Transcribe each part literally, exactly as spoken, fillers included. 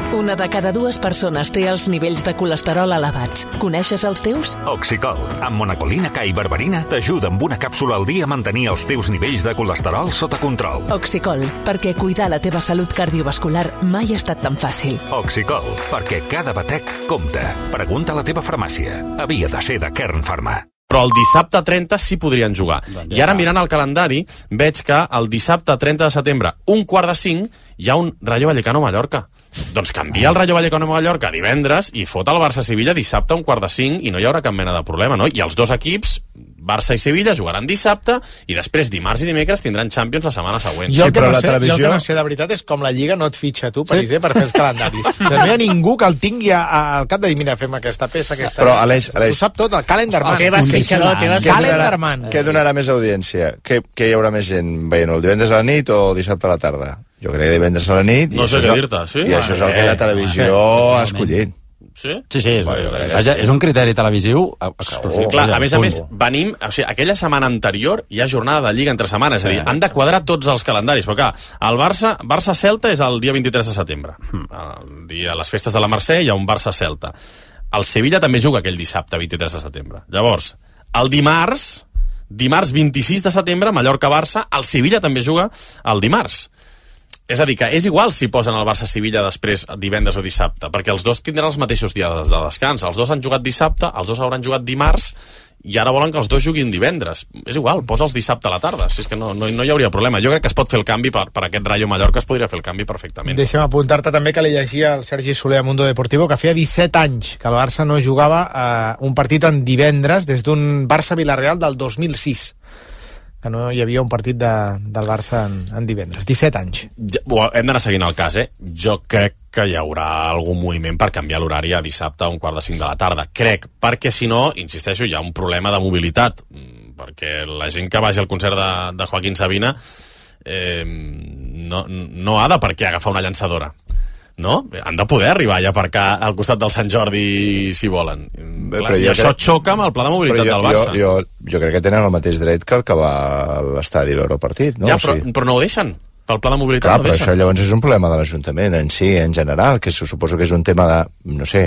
Una de cada dues persones té els nivells de colesterol elevats. Coneixes els teus? Oxicol, amb monacolina K i berberina, t'ajuda amb una càpsula al dia a mantenir els teus nivells de colesterol sota control. Oxicol, perquè cuidar la teva salut cardiovascular mai ha estat tan fàcil. Oxicol, perquè cada batec compta. Pregunta a la teva farmàcia. Havia de ser de Kern Pharma. Però el dissabte trenta sí podrien jugar. I ara, mirant el calendari, veig que el dissabte trenta de setembre, un quart de cinc, hi ha un Rayo Vallecano-Mallorca. Doncs canvia el Rayo Vallecano-Mallorca divendres i fot el Barça-Sevilla dissabte a un quart de cinc i no hi haurà cap mena de problema, no? I els dos equips, Barça i Sevilla, jugaran dissabte i després dimarts i dimecres tindran Champions la setmana següent. Jo el que, sí, no, sé, televisió... jo el que no sé de veritat és com la Lliga no et fitxa tu, París, eh, per fer els calendaris. No hi ha ningú que el tingui a, a, al cap de dir, mira, fem aquesta peça, aquesta... Però, Aleix, Aleix... Ho sap tot, el calendarman. El teva esqueixador, el teva calendarman. Què donarà més audiència? Què, què hi haurà més gent veient el divendres a la nit o dissabte a la tarda? Jo crec que divendres a la nit... No sé què dir-te, sí? I això és el que la televisió ha escollit. Sí? Sí, sí, és, vaja, és un criteri televisiu exclusiu. Clar, a més a més, venim... O sigui, aquella setmana anterior hi ha jornada de Lliga entre setmanes, és a dir, han de quadrar tots els calendaris, però clar, el Barça, Barça-Celta és el dia vint-i-tres de setembre. El dia, a les festes de la Mercè hi ha un Barça-Celta. El Sevilla també juga aquell dissabte, vint-i-tres de setembre. Llavors, el dimarts, dimarts vint-i-sis de setembre, Mallorca-Barça, el Sevilla també juga el dimarts. És a dir, que és igual si posen el Barça-Sevilla després divendres o dissabte, perquè els dos tindran els mateixos dies de descans. Els dos han jugat dissabte, els dos hauran jugat dimarts, i ara volen que els dos juguin divendres. És igual, posa'ls dissabte a la tarda, si és que no, no, no hi hauria problema. Jo crec que es pot fer el canvi per, per aquest Rayo Mallorca, es podria fer el canvi perfectament. Deixa'm apuntar-te també que li llegia el Sergi Soler a Mundo Deportivo que feia disset anys que el Barça no jugava eh, un partit en divendres des d'un Barça-Villarreal del dos mil sis. Que no hi havia un partit de, del Barça en, en divendres. disset anys. Ja, hem d'anar seguint el cas, eh? Jo crec que hi haurà algun moviment per canviar l'horari a dissabte a un quart de cinc de la tarda. Crec, perquè si no, insisteixo, hi ha un problema de mobilitat, perquè la gent que vagi al concert de, de Joaquín Sabina eh, no, no ha de per què agafar una llançadora. No? Han de poder arribar i aparcar al costat del Sant Jordi si volen. Bé, clar, i això crec... xoca amb el pla de mobilitat jo, del Barça. Jo, jo, jo crec que tenen el mateix dret que el que va a l'estadi a veure el partit. No? Ja, però, o sigui... però no ho deixen. Pel pla de mobilitat. Clar, no però deixen. Això llavors és un problema de l'Ajuntament en si, en general, que suposo que és un tema de, no sé,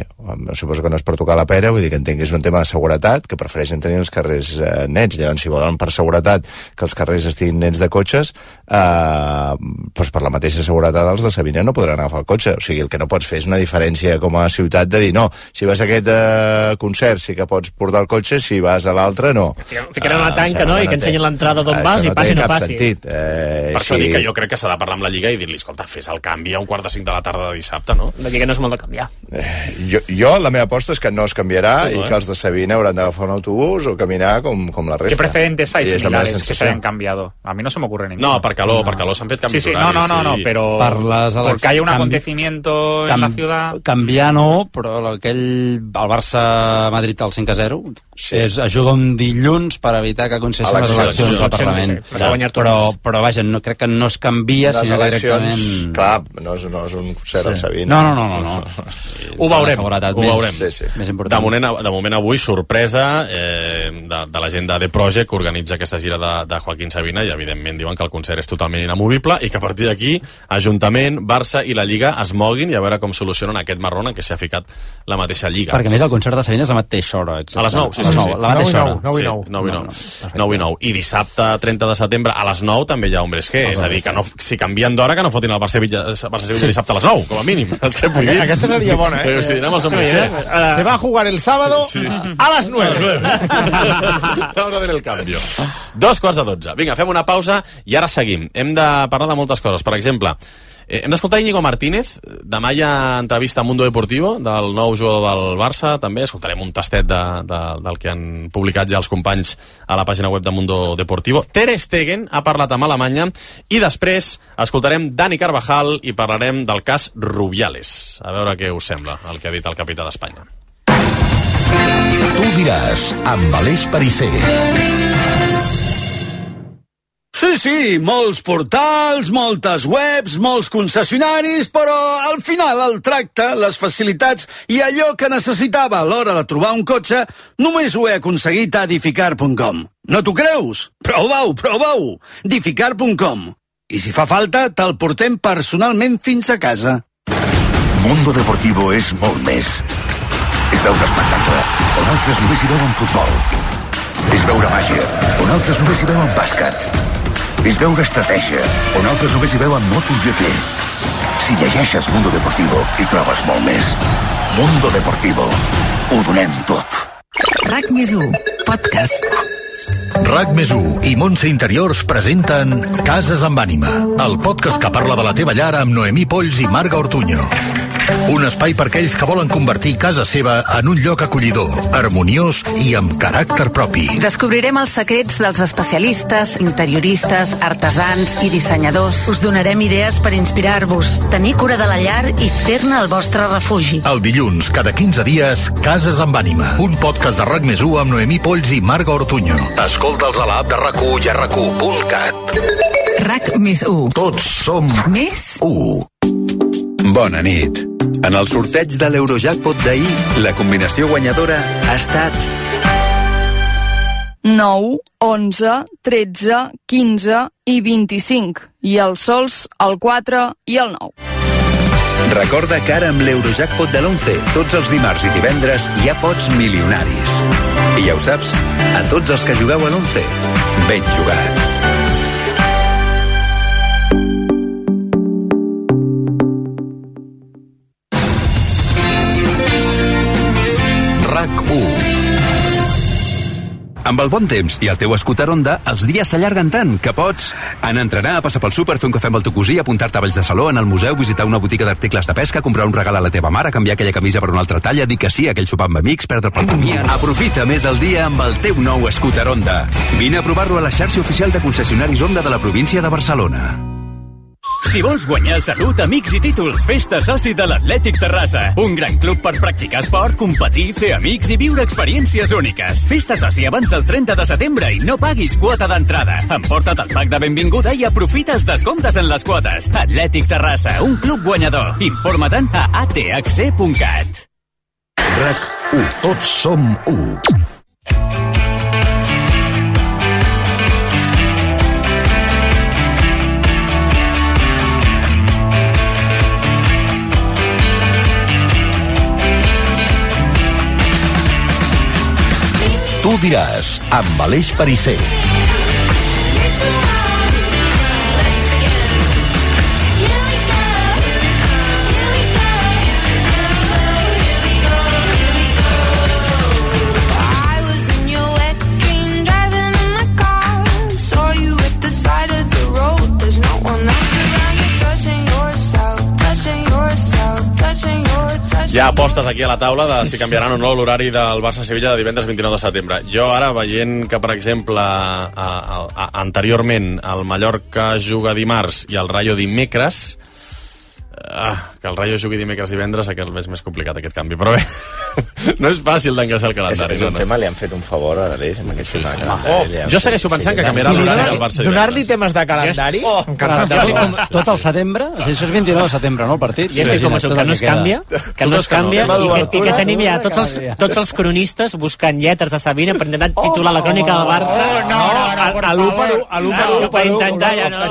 suposo que no és per tocar la pera, vull dir que entenc que és un tema de seguretat, que prefereixen tenir els carrers eh, nets. Llavors, si volen per seguretat que els carrers estiguin nets de cotxes, eh, doncs per la mateixa seguretat els de Sabina no podran agafar el cotxe. O sigui, el que no pots fer és una diferència com a ciutat de dir, no, si vas a aquest eh, concert sí que pots portar el cotxe, si vas a l'altre, no. Ficaran una tanca, no?, i que ensenyin l'entrada d'on vas i passi o no passi. Eh, per això dic que jo crec que s'ha de parlar amb la Lliga i dir-li, escolta, fes el canvi a un quart de cinc de la tarda de dissabte, no? La Lliga no és molt de canviar. Eh, jo, jo, la meva aposta és que no es canviarà sí, i eh? que els de Sabina hauran d'agafar un autobús o caminar com, com la resta. ¿Qué precedentes hay similares que se hayan cambiado? A mí no se me ocurre ninguno. No, per calor, no. per calor s'han fet canvis sí, sí, horaris. No, no, no, no, pero les porque hay un canvi... acontecimiento en la ciudad... Canviar no, però aquell, el Barça-Madrid al cinc a zero sí. és, ajuda un dilluns per evitar que aconsegueixin les eleccions al Parlament. Sí, sí, ja, però, però vaja, no, crec que no es canvia, les sinó eleccions, directament... Clar, no és, no és un concert sí. al Sabina. No, no, no, no. no. Ho veurem, ho veurem. Sí, sí. Més important. De moment, de moment avui, sorpresa eh, de, de la gent de The Project que organitza aquesta gira de, de Joaquín Sabina i evidentment diuen que el concert és totalment inamovible i que a partir d'aquí Ajuntament, Barça i la Lliga es moguin i a veure com solucionen aquest marrón en què s'ha ficat la mateixa Lliga. Perquè a més el concert de Sabina és la mateixa hora. Exacte. A les nou, sí, sí, sí. La mateixa hora. nou i nou. nou i nou. nou i nou. I dissabte trenta de setembre a les nou també hi ha Hombres G. És a dir, que no, si canvien d'hora que no fotin el Barça-Sevilla Barça dissabte a les nou, com a mínim. Aquesta seria bona, eh? O sigui, anem als Hombres G. Se va a jugar el sábado sí. a las nueve. Hora de el cambio. Dos quarts de dotze. Vinga, fem una pausa i ara seguim. Hem de parlar de moltes coses. Per exemple, eh, hem d'escoltar Íñigo Martínez. Demà hi ha entrevista a Mundo Deportivo del nou jugador del Barça. També escoltarem un tastet de, de, del que han publicat ja els companys a la pàgina web de Mundo Deportivo. Ter Stegen ha parlat amb Alemanya i després escoltarem Dani Carvajal i parlarem del cas Rubiales. A veure què us sembla el que ha dit el capità d'Espanya. Tu diràs, amb Aleix Perisser. Sí, sí, molts portals, moltes webs, molts concessionaris, però al final el tracte, les facilitats i allò que necessitava a l'hora de trobar un cotxe només ho he aconseguit a Edificar punt com. No t'ho creus? Prova-ho, prova-ho! Edificar punt com. I si fa falta, te'l portem personalment fins a casa. Mundo Deportivo és molt més. És veure espectacle, on altres només hi veuen futbol. És veure màgia, on altres només hi veuen bàsquet. És veure estratègia, on altres només hi veuen MotoGP. Si llegeixes Mundo Deportivo, hi trobes molt més. Mundo Deportivo. Ho donem tot. RAC més u, podcast. RAC més u i Montse Interiors presenten Cases amb ànima, el podcast que parla de la teva llar amb Noemí Polls i Marga Ortuño. Un espai per aquells que volen convertir casa seva en un lloc acollidor, harmoniós i amb caràcter propi. Descobrirem els secrets dels especialistes, interioristes, artesans i dissenyadors. Us donarem idees per inspirar-vos, tenir cura de la llar i fer-ne el vostre refugi. El dilluns, cada quinze dies, Cases amb ànima, un podcast de RAC més u amb Noemí Polls i Marga Ortuño. Escolta'ls a l'app de RAC u i a rac u punt cat. RAC més u. Tots som més u. Bona nit. En el sorteig de l'Eurojackpot d'ahir, la combinació guanyadora ha estat nou, onze, tretze, quinze i vint-i-cinc. I els sols, el quatre i el nou. Recorda que ara amb l'Eurojackpot de l'onze, tots els dimarts i divendres hi ha pots milionaris. I ja ho saps, a tots els que jugueu a l'onze, ben jugat. RAC u. Amb el bon temps i el teu scooter Honda, els dies s'allarguen tant que pots anar a entrenar, passar pel súper, fer un cafè amb el teu cosí, apuntar-te a Valls de Saló, anar al museu, visitar una botiga d'articles de pesca, comprar un regal a la teva mare, canviar aquella camisa per una altra talla, dir que sí a aquell sopar amb amics, perdre pel camí. Aprofita més el dia amb el teu nou scooter Honda. Vine a provar-lo a la xarxa oficial de concessionaris Honda de la província de Barcelona. Si vols guanyar salut, amics i títols, festa soci de l'Atlètic Terrassa. Un gran club per practicar esport, competir, fer amics i viure experiències úniques. Festa soci abans del trenta de setembre i no paguis quota d'entrada. Emporta't el pack de benvinguda i aprofita els descomptes en les quotes. Atlètic Terrassa, un club guanyador. Informa-te'n a a t h c punt cat. RAC u. Tots som u. Tu diràs, amb Aleix Perisser. Hi ha apostes aquí a la taula de si canviaran o no l'horari del Barça-Sevilla de divendres vint-i-nou de setembre. Jo ara, veient que, per exemple, a, a, a, anteriorment el Mallorca juga dimarts i el Rayo dimecres, ah, que el Rayo jugui dimecres i divendres, que és més complicat aquest canvi, però bé, no és fàcil d'encaixar el calendari. És, és un no, tema, li han fet un favor a l'Aleix amb aquest tema de calendari. Oh, jo segueixo pensant sí, que canviarà sí, l'horari del Barça. Donar-li temes de calendari? Oh, com, tot el setembre? Això és vint-i-nou de setembre, no, el partit? I estic com això, que no es canvia, que no es canvia, i que, i que tenim ja tots els, tots els cronistes buscant lletres de Sabina per intentar titular la crònica del Barça. Oh, no, a l'u per u, a l'u per u, per intentar ja no.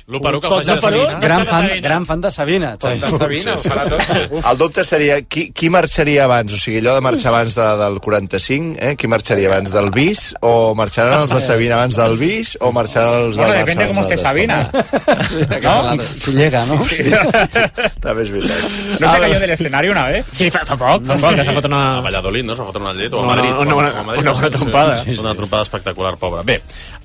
L'u per u que el faci de Sabina. Gran fan de Sabina. Sabina, ho farà tot. El dubte seria qui, qui marxaria abans, o sigui, allò de marxar abans de, del quaranta-cinc, eh? Qui marxaria abans del bis, o marxaran els de Sabina abans del bis, o marxaran els del bueno, Barça depende com esté Sabina. ¿No? Si llega, ¿no? Sí. També és veritat. ¿No se cayó del escenario una vez? Sí, fa, fa poc, fa poc, que s'ha fotut una... A Valladolid, no? S'ha fotut una llet, o a no, Madrid. No, no, o a Madrid, una, una trompada. Sí, sí. Una trompada espectacular, pobra. Bé,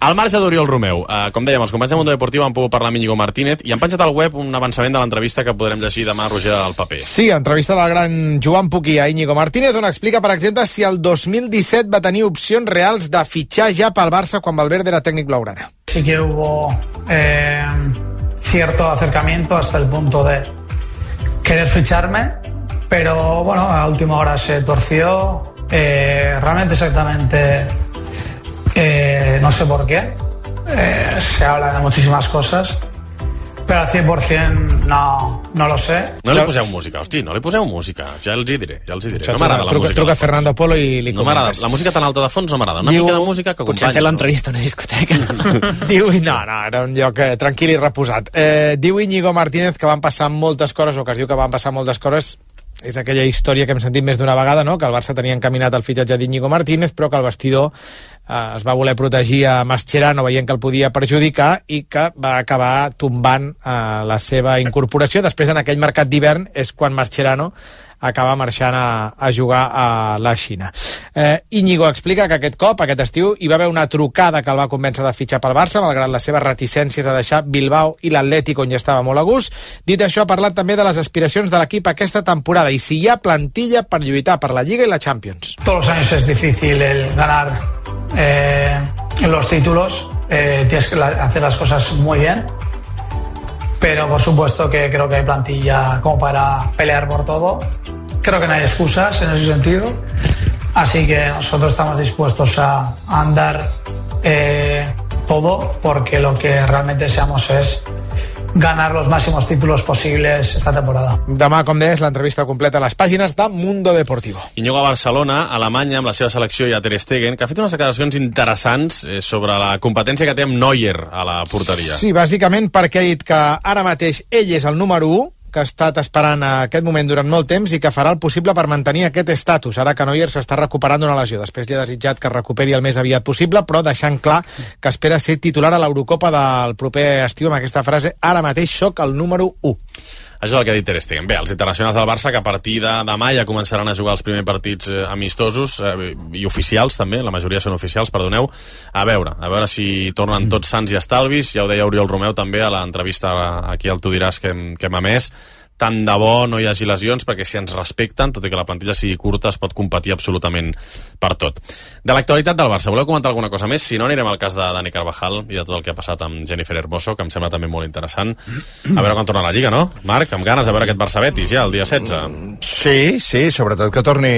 al marge d'Oriol Romeu, eh, com dèiem, els companys de Mundo Deportivo han pogut parlar amb Íñigo Martínez i han penjat al web un avançament de l'entrevista que podrem llegir demà a Roger al paper. Sí, entrevista del gran Joan Puquí a Íñigo Martínez, on explica, per exemple, si el dos mil disset va tenir opcions reals de fitxar ja pel Barça quan Valverde era tècnic blaugrana. Sí que hubo eh, cierto acercamiento hasta el punto de querer ficharme, pero bueno, a última hora se torció. Eh, realmente exactamente eh, no sé por qué. Eh, se habla de muchísimas cosas, pero al cien por ciento no, no lo sé. No li poseu música, hosti, no li poseu música. Ja els hi diré, ja els hi diré. No m'agrada la truca, música. Truca Fernando Polo i li no comentes. La música tan alta de fons no m'agrada. Una Diu, mica de música que potser fer l'entrevista a una discoteca. Diu, no, no, era un lloc eh, tranquil i reposat. Eh, diu Íñigo Martínez que van passar moltes coses, o que es diu que van passar moltes coses. És aquella història que hem sentit més d'una vegada, no? Que el Barça tenia encaminat el fitxatge d'Íñigo Martínez, però que el vestidor eh, es va voler protegir a Mascherano veient que el podia perjudicar i que va acabar tombant eh, la seva incorporació. Després, en aquell mercat d'hivern, és quan Mascherano acaba marxant a, a jugar a la Xina. Eh, Íñigo explica que aquest cop, aquest estiu, hi va haver una trucada que el va convèncer de fitxar pel Barça, malgrat les seves reticències a deixar Bilbao i l'Atlètic, on ja estava molt a gust. Dit això, ha parlat també de les aspiracions de l'equip aquesta temporada i si hi ha plantilla per lluitar per la Lliga i la Champions. Todos los años es difícil el ganar eh, los títulos, eh, tienes que hacer las cosas muy bien, pero por supuesto que creo que hay plantilla como para pelear por todo. Creo que no hay excusas en ese sentido, así que nosotros estamos dispuestos a, a andar eh, todo, porque lo que realmente deseamos es ganar los máximos títulos posibles esta temporada. Demà, com deies, l'entrevista completa a les pàgines de Mundo Deportivo. Íñigo a Barcelona, a Alemanya, amb la seva selecció i a Ter Stegen, que ha fet unes declaracions interessants eh, sobre la competència que té amb Neuer a la porteria. Sí, bàsicament perquè ha dit que ara mateix ell és el número u, que ha estat esperant aquest moment durant molt temps i que farà el possible per mantenir aquest estatus, ara que Neuer s'està recuperant d'una lesió. Després li ha desitjat que es recuperi el més aviat possible, però deixant clar que espera ser titular a l'Eurocopa del proper estiu amb aquesta frase: ara mateix sóc el número u. Això és el que ha dit Ter Stegen. Bé, els internacionals del Barça, que a partir de demà ja començaran a jugar els primers partits eh, amistosos eh, i oficials també, la majoria són oficials, perdoneu. A veure, a veure si tornen tots sants i estalvis. Ja ho deia Oriol Romeu també a l'entrevista aquí al Tu diràs que hem, que hem emès. Tant de bo no hi hagi lesions, perquè si ens respecten, tot i que la plantilla sigui curta, es pot competir absolutament per tot. De l'actualitat del Barça, voleu comentar alguna cosa més? Si no, anirem al cas de Dani Carvajal i de tot el que ha passat amb Jennifer Hermoso, que em sembla també molt interessant. A veure quan torna a la Lliga, no? Marc, amb ganes de veure aquest Barça-Betis ja, el dia setze. Sí, sí, sobretot que torni,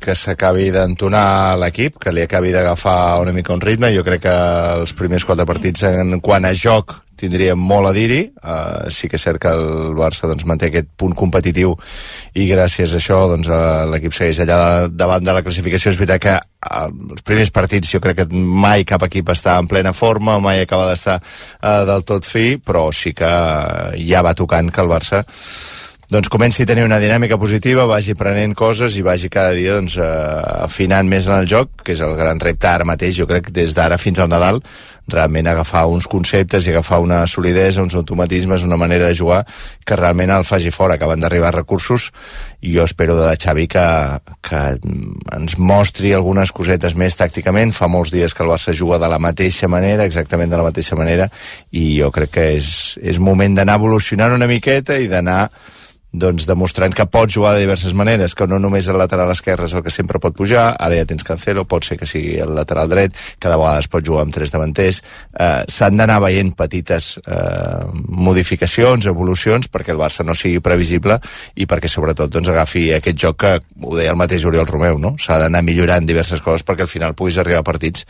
que s'acabi d'entonar l'equip, que li acabi d'agafar una mica un ritme. Jo crec que els primers quatre partits, en quant a joc, tindria molt a dir-hi. Uh, sí que és cert que el Barça doncs, manté aquest punt competitiu i gràcies a això doncs, uh, l'equip segueix allà davant de la classificació. És veritat que uh, els primers partits jo crec que mai cap equip està en plena forma, mai acaba d'estar uh, del tot fi, però sí que uh, ja va tocant que el Barça doncs comenci a tenir una dinàmica positiva, vagi prenent coses i vagi cada dia doncs, uh, afinant més en el joc, que és el gran repte ara mateix, jo crec, des d'ara fins al Nadal, realment agafar uns conceptes i agafar una solidesa, uns automatismes, una manera de jugar que realment el faci fora. Acaben d'arribar recursos i jo espero de Xavi que, que ens mostri algunes cosetes més tàcticament. Fa molts dies que el Barça juga de la mateixa manera, exactament de la mateixa manera, i jo crec que és, és moment d'anar evolucionant una miqueta i d'anar doncs demostrant que pot jugar de diverses maneres, que no només el lateral esquerre és el que sempre pot pujar, ara ja tens Cancelo, pot ser que sigui el lateral dret, cada vegada es pot jugar amb tres davanters. Eh, s'han d'anar veient petites eh, modificacions, evolucions, perquè el Barça no sigui previsible i perquè sobretot doncs, agafi aquest joc que, ho deia el mateix Oriol Romeu, no? S'ha d'anar millorant diverses coses perquè al final puguis arribar a partits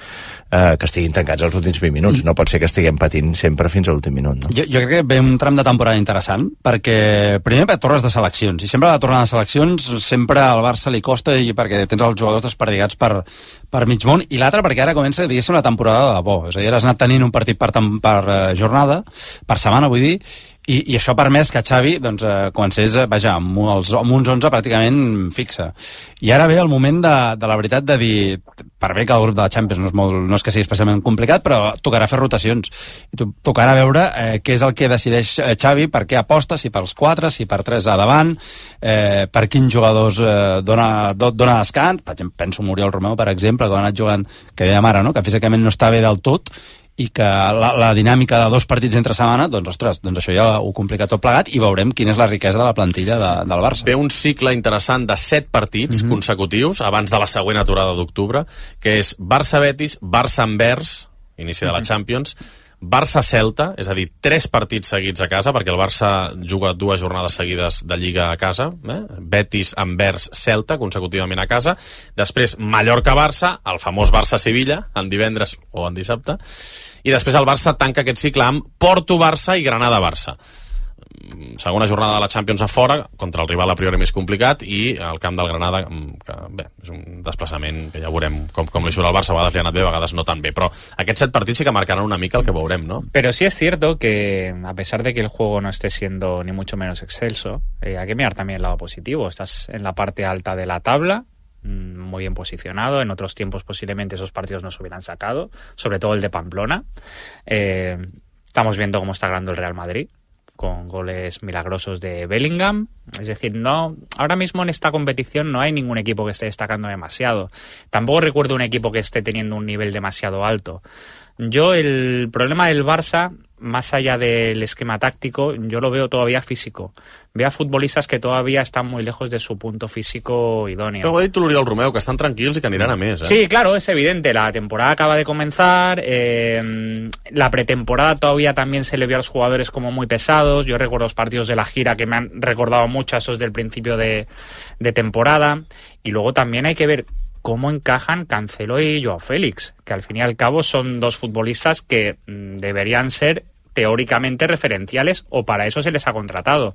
eh, que estiguin tancats els últims vint minuts. No pot ser que estiguem patint sempre fins a l'últim minut. No? Jo, jo crec que ve un tram de temporada interessant, perquè primer per tornes de seleccions, i sempre la tornada de seleccions sempre al Barça li costa, i perquè tens els jugadors desperdigats per, per mig món, i l'altre perquè ara comença, diguéssim, la temporada de bo. És a dir, has anat tenint un partit per, per uh, jornada, per setmana, vull dir, i, i això ha permès que Xavi doncs, eh, comencés, vaja, amb, els, amb uns onze pràcticament fixa. I ara ve el moment de, de la veritat de dir, per bé que el grup de la Champions no és, molt, no és que sigui especialment complicat, però tocarà fer rotacions. I to, tocarà veure eh, què és el que decideix eh, Xavi, per què aposta, si pels quatre, si per tres a davant, eh, per quins jugadors eh, dona, do, dona descans. Per exemple, penso en Oriol Romeu, per exemple, que ha anat jugant, que dèiem ara, no? Que físicament no està bé del tot, i que la, la dinàmica de dos partits entre setmana, doncs, ostres, doncs això ja ho complica tot plegat, i veurem quina és la riquesa de la plantilla de, del Barça. Ve un cicle interessant de set partits mm-hmm. consecutius, abans de la següent aturada d'octubre, que és Barça-Betis, Barça-Anvers, inici de la mm-hmm. Champions, Barça-Celta, és a dir, tres partits seguits a casa, perquè el Barça juga dues jornades seguides de Lliga a casa, eh? Betis-Anvers-Celta, consecutivament a casa, després Mallorca-Barça, el famós Barça-Sevilla, en divendres o en dissabte, i després el Barça tanca aquest cicle amb Porto-Barça i Granada-Barça. segona jornada de la Champions a fora, contra el rival a priori més complicat, i el camp del Granada, que bé, és un desplaçament que ja veurem com, com li surt al Barça, a vegades li ha anat bé, a vegades no tan bé, però aquests set partits sí que marcaran una mica el que veurem, ¿no? Pero sí es cierto que, a pesar de que el juego no esté siendo ni mucho menos excelso, eh, hay que mirar también el lado positivo. Estás en la parte alta de la tabla, muy bien posicionado. En otros tiempos posiblemente esos partidos no se hubieran sacado, sobre todo el de Pamplona. Eh, estamos viendo cómo está ganando el Real Madrid, con goles milagrosos de Bellingham. Es decir, no, ahora mismo en esta competición no hay ningún equipo que esté destacando demasiado. Tampoco recuerdo un equipo que esté teniendo un nivel demasiado alto. Yo el problema del Barça, más allá del esquema táctico, yo lo veo todavía físico. Veo a futbolistas que todavía están muy lejos de su punto físico idóneo. Però ho ha dit l'Oriol Romeu, que estan tranquils i que aniran a més, eh? Sí, claro, es evidente. La temporada acaba de comenzar. Eh, la pretemporada todavía también se le vio a los jugadores como muy pesados. Yo recuerdo los partidos de la gira que me han recordado mucho a esos del principio de, de temporada. Y luego también hay que ver cómo encajan Cancelo y Joao Félix, que al fin y al cabo son dos futbolistas que mmm, deberían ser teóricamente referenciales, o para eso se les ha contratado.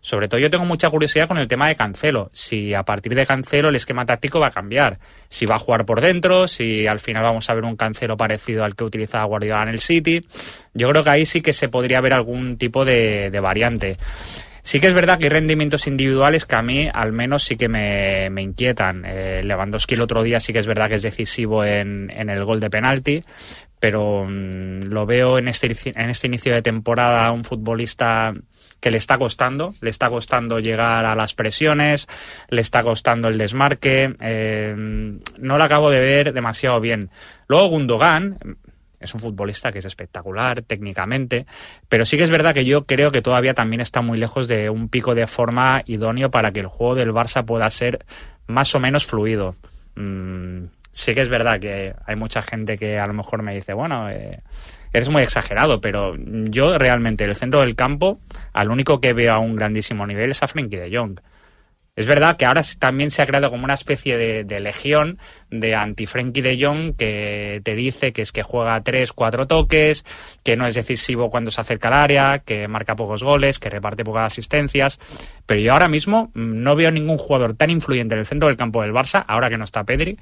Sobre todo yo tengo mucha curiosidad con el tema de Cancelo, si a partir de Cancelo el esquema táctico va a cambiar, si va a jugar por dentro, si al final vamos a ver un Cancelo parecido al que utilizaba Guardiola en el City. Yo creo que ahí sí que se podría ver algún tipo de, de variante. Sí que es verdad que hay rendimientos individuales que a mí al menos sí que me, me inquietan. Eh, Lewandowski el otro día sí que es verdad que es decisivo en, en el gol de penalti, pero mmm, lo veo en este, en este inicio de temporada un futbolista que le está costando, le está costando llegar a las presiones, le está costando el desmarque, eh, no lo acabo de ver demasiado bien. Luego Gundogan es un futbolista que es espectacular técnicamente, pero sí que es verdad que yo creo que todavía también está muy lejos de un pico de forma idóneo para que el juego del Barça pueda ser más o menos fluido. Mm, sí que es verdad que hay mucha gente que a lo mejor me dice, bueno, eh, eres muy exagerado, pero yo realmente el centro del campo, al único que veo a un grandísimo nivel es a Frenkie de Jong. Es verdad que ahora también se ha creado como una especie de, de legión de anti-Frenkie de Jong que te dice que es que juega tres, cuatro toques, que no es decisivo cuando se acerca al área, que marca pocos goles, que reparte pocas asistencias. Pero yo ahora mismo no veo ningún jugador tan influyente en el centro del campo del Barça, ahora que no está Pedri,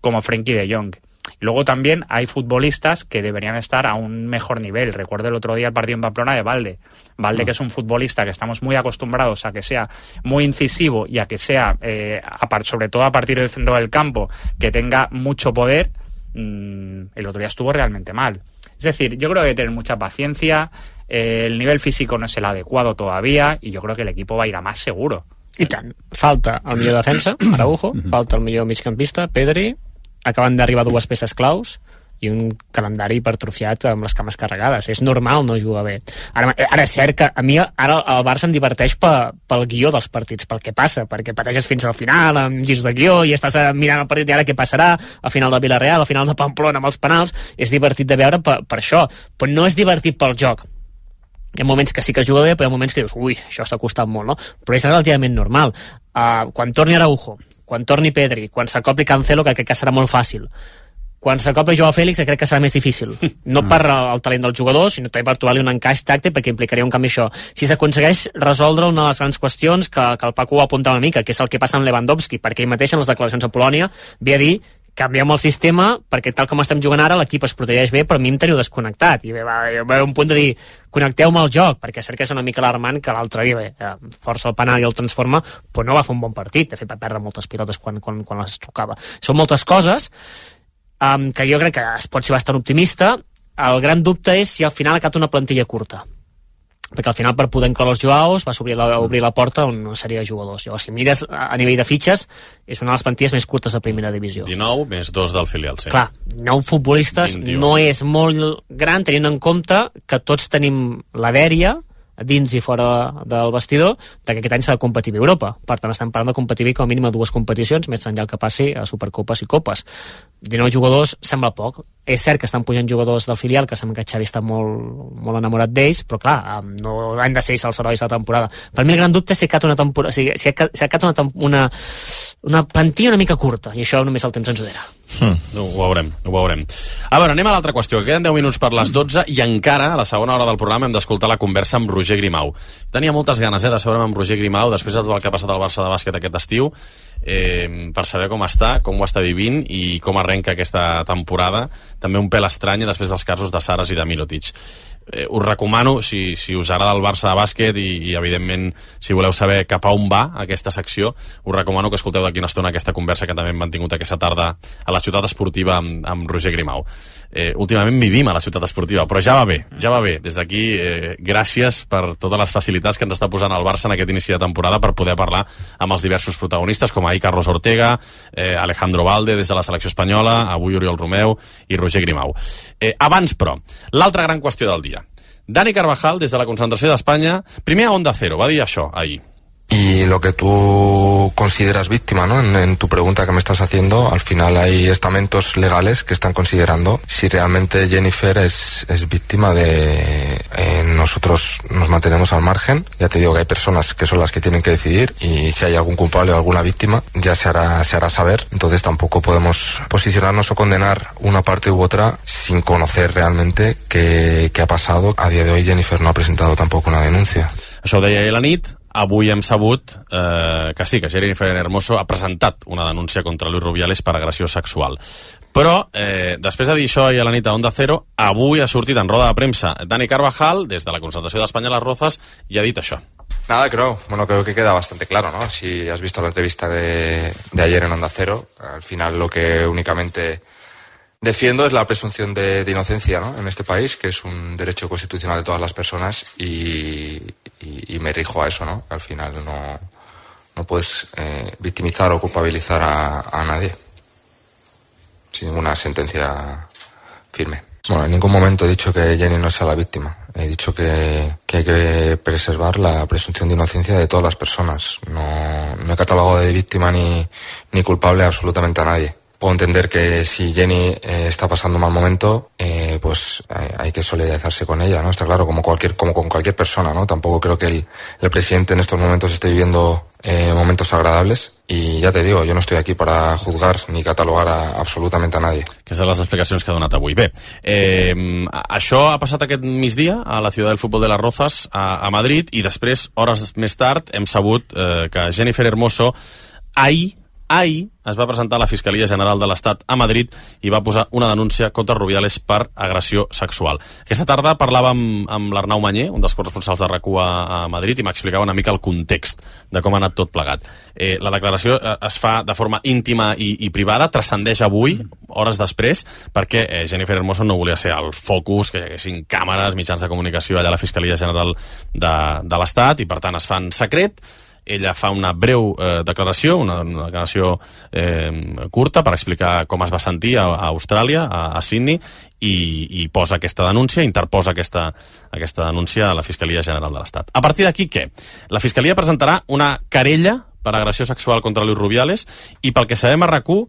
como Frenkie de Jong. Y luego también hay futbolistas que deberían estar a un mejor nivel. Recuerdo el otro día el partido en Pamplona de Valde. Valde, mm. que es un futbolista que estamos muy acostumbrados a que sea muy incisivo y a que sea, eh, a, sobre todo a partir del centro del campo, que tenga mucho poder. Mmm, el otro día estuvo realmente mal. Es decir, yo creo que hay que tener mucha paciencia. Eh, el nivel físico no es el adecuado todavía y yo creo que el equipo va a ir a más seguro. I tant. Falta el millor defensa, Araujo, falta el millor migcampista, Pedri. Acaben d'arribar dues peces claus i un calendari hipertrofiat amb les cames carregades. És normal no jugar bé. Ara, ara és cert que a mi ara el Barça em diverteix pe, pel guió dels partits, pel que passa, perquè pateixes fins al final amb girs de guió i estàs mirant el partit i ara què passarà, al final de Villarreal, al final de Pamplona amb els penals. És divertit de veure per, per això, però no és divertit pel joc. Hi ha moments que sí que juga bé, però hi ha moments que dius, ui, això està costant molt, no? Però és relativament normal. Uh, quan torni Araujo, quan torni Pedri, quan s'acopli Cancelo, que crec que serà molt fàcil. Quan s'acopli Joao Félix, crec que serà més difícil. No per el talent del jugador, sinó també per trobar-li un encaix tàctic, perquè implicaria un canvi això. Si s'aconsegueix resoldre una de les grans qüestions que, que el Paco ho apuntava una mica, que és el que passa amb Lewandowski, perquè ell mateix en les declaracions a Polònia ve a dir canviem el sistema perquè tal com estem jugant ara l'equip es protegeix bé, però a mi em teniu desconnectat i va, va haver un punt de dir connecteu-me al joc, perquè és cert que és una mica alarmant que l'altre dia bé, força el penal i el transforma, però no va fer un bon partit, de fet va perdre moltes pilotes quan, quan, quan les tocava. Són moltes coses um, que jo crec que es pot ser bastant optimista. El gran dubte és si al final ha quedat una plantilla curta, perquè al final per poder incloure els Joaos va obrir la, obrir la porta a una sèrie de jugadors. Llavors, si mires a nivell de fitxes, és una de les plantilles més curtes de primera divisió. dinou més dos del filial, sí. Clar, nou futbolistes vint i u. No és molt gran, tenint en compte que tots tenim la dèria a dins i fora del vestidor, que aquest any s'ha de competir a Europa. Per tant, estem parlant de competir com a mínim a dues competicions, més enllà el que passi a Supercopes i Copes. dinou jugadors sembla poc. És cert que estan pujant jugadors del filial, que sembla que Xavi està molt, molt enamorat d'ells, però clar, no han de ser els herois de la temporada. Per mi el gran dubte és si ha quedat una temporada, si ha quedat una, una, una plantilla una mica curta, i això només el temps ens ho dirà. Mm. No, ho veurem, ho veurem. A veure, anem a l'altra qüestió. Queden deu minuts per les dotze i encara, a la segona hora del programa, hem d'escoltar la conversa amb Roger Grimau. Tenia moltes ganes eh, de sabre'm amb Roger Grimau després de tot el que ha passat al Barça de bàsquet aquest estiu, eh, per saber com està, com ho està vivint i com arrenca aquesta temporada, també un pèl estrany després dels casos de Saras i de Mirotic. Eh, us recomano, si, si us agrada el Barça de bàsquet i, i evidentment si voleu saber cap a on va aquesta secció, us recomano que escolteu d'aquí una estona aquesta conversa que també hem mantingut aquesta tarda a la ciutat esportiva amb, amb Roger Grimau. Eh, últimament vivim a la ciutat esportiva, però ja va bé, ja va bé. Des d'aquí, eh, gràcies per totes les facilitats que ens està posant el Barça en aquest inici de temporada per poder parlar amb els diversos protagonistes, com ahir Carlos Ortega, eh, Alejandro Valde des de la selecció espanyola, avui Oriol Romeu i Roger Grimau. Eh, abans, però, l'altra gran qüestió del dia. Dani Carvajal, des de la concentració d'Espanya, primer a Onda Cero, va dir això ahir. Y lo que tú consideras víctima, ¿no? En, en tu pregunta que me estás haciendo, al final hay estamentos legales que están considerando si realmente Jennifer es, es víctima de... Eh, nosotros nos mantenemos al margen, ya te digo que hay personas que son las que tienen que decidir y si hay algún culpable o alguna víctima ya se hará, se hará saber, entonces tampoco podemos posicionarnos o condenar una parte u otra sin conocer realmente qué, qué ha pasado. A día de hoy Jennifer no ha presentado tampoco una denuncia. Això ho deia ahir a la nit. Avui hem sabut eh, que sí, que Jennifer Hermoso ha presentat una denúncia contra Luis Rubiales per agressió sexual. Però, eh, després de dir això ahir a la nit a Onda Cero, avui ha sortit en roda de premsa Dani Carvajal, des de la concentració d'Espanya a les Rozas, i ha dit això. Nada, creo, bueno, creo que queda bastante claro, ¿no? Si has visto la entrevista de, de ayer en Onda Cero, al final lo que únicamente defiendo es la presunción de, de inocencia, ¿no? En este país, que es un derecho constitucional de todas las personas y, y, y me rijo a eso, ¿no? Al final no, no puedes eh, victimizar o culpabilizar a, a nadie sin ninguna sentencia firme. Bueno, en ningún momento he dicho que Jenny no sea la víctima. He dicho que, que hay que preservar la presunción de inocencia de todas las personas. No, no he catalogado de víctima ni, ni culpable absolutamente a nadie. Puedo entender que si Jenny eh, está pasando un mal momento, eh, pues hay, hay que solidarizarse con ella, ¿no? Está claro, como cualquier, como con cualquier persona, ¿no? Tampoco creo que el, el presidente en estos momentos esté viviendo eh, momentos agradables. Y ya te digo, yo no estoy aquí para juzgar ni catalogar a, absolutamente a nadie. Aquestes són les explicacions que ha donat avui. Bé, eh, això ha passat aquest migdia a la ciutat del futbol de las Rozas, a, a Madrid, i després, hores més tard, hem sabut eh, que Jennifer Hermoso ahir Ahir es va presentar a la Fiscalia General de l'Estat a Madrid i va posar una denúncia contra Rubiales per agressió sexual. Aquesta tarda parlàvem amb, amb l'Arnau Mañé, un dels corresponsals de RAC u a, a Madrid, i m'explicava una mica el context de com ha anat tot plegat. Eh, la declaració eh, es fa de forma íntima i, i privada, transcendeix avui, hores després, perquè eh, Jennifer Hermoso no volia ser el focus, que hi haguessin càmeres, mitjans de comunicació allà a la Fiscalia General de, de l'Estat, i per tant es fa en secret. Ella fa una breu eh, declaració, una, una declaració eh, curta per explicar com es va sentir a, a Austràlia, a, a Sydney, i, i posa aquesta denúncia, interposa aquesta, aquesta denúncia a la Fiscalia General de l'Estat. A partir d'aquí, què? La Fiscalia presentarà una querella per agressió sexual contra Luis Rubiales i pel que sabem a RAC u,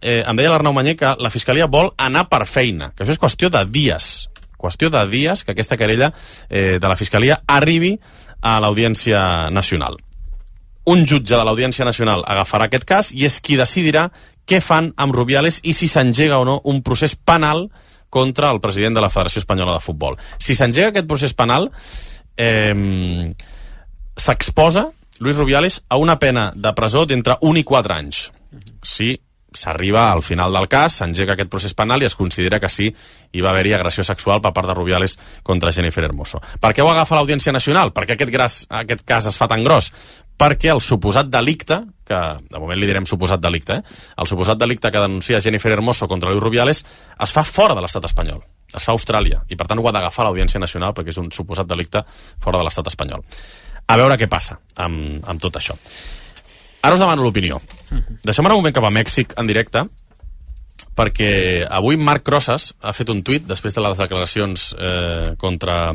eh, em deia l'Arnau Mañé que la Fiscalia vol anar per feina, que això és qüestió de dies, qüestió de dies que aquesta querella eh, de la Fiscalia arribi a l'Audiència Nacional. Un jutge de l'Audiència Nacional agafarà aquest cas i és qui decidirà què fan amb Rubiales i si s'engega o no un procés penal contra el president de la Federació Espanyola de Futbol. Si s'engega aquest procés penal, eh, s'exposa Luis Rubiales a una pena de presó d'entre un i quatre anys. Si s'arriba al final del cas, s'engega aquest procés penal i es considera que sí hi va haver-hi agressió sexual per part de Rubiales contra Jennifer Hermoso. Per què ho agafa l'Audiència Nacional? Per què aquest, gras, aquest cas es fa tan gros? Perquè el suposat delicte, que de moment li direm suposat delicte, eh? el suposat delicte que denuncia Jennifer Hermoso contra Luis Rubiales es fa fora de l'estat espanyol, es fa a Austràlia, i per tant ho ha d'agafar l'Audiència Nacional perquè és un suposat delicte fora de l'estat espanyol. A veure què passa amb, amb tot això. Ara us demano l'opinió. Deixem un moment cap a Mèxic en directe, perquè avui Marc Crosas ha fet un tuit després de les declaracions eh, contra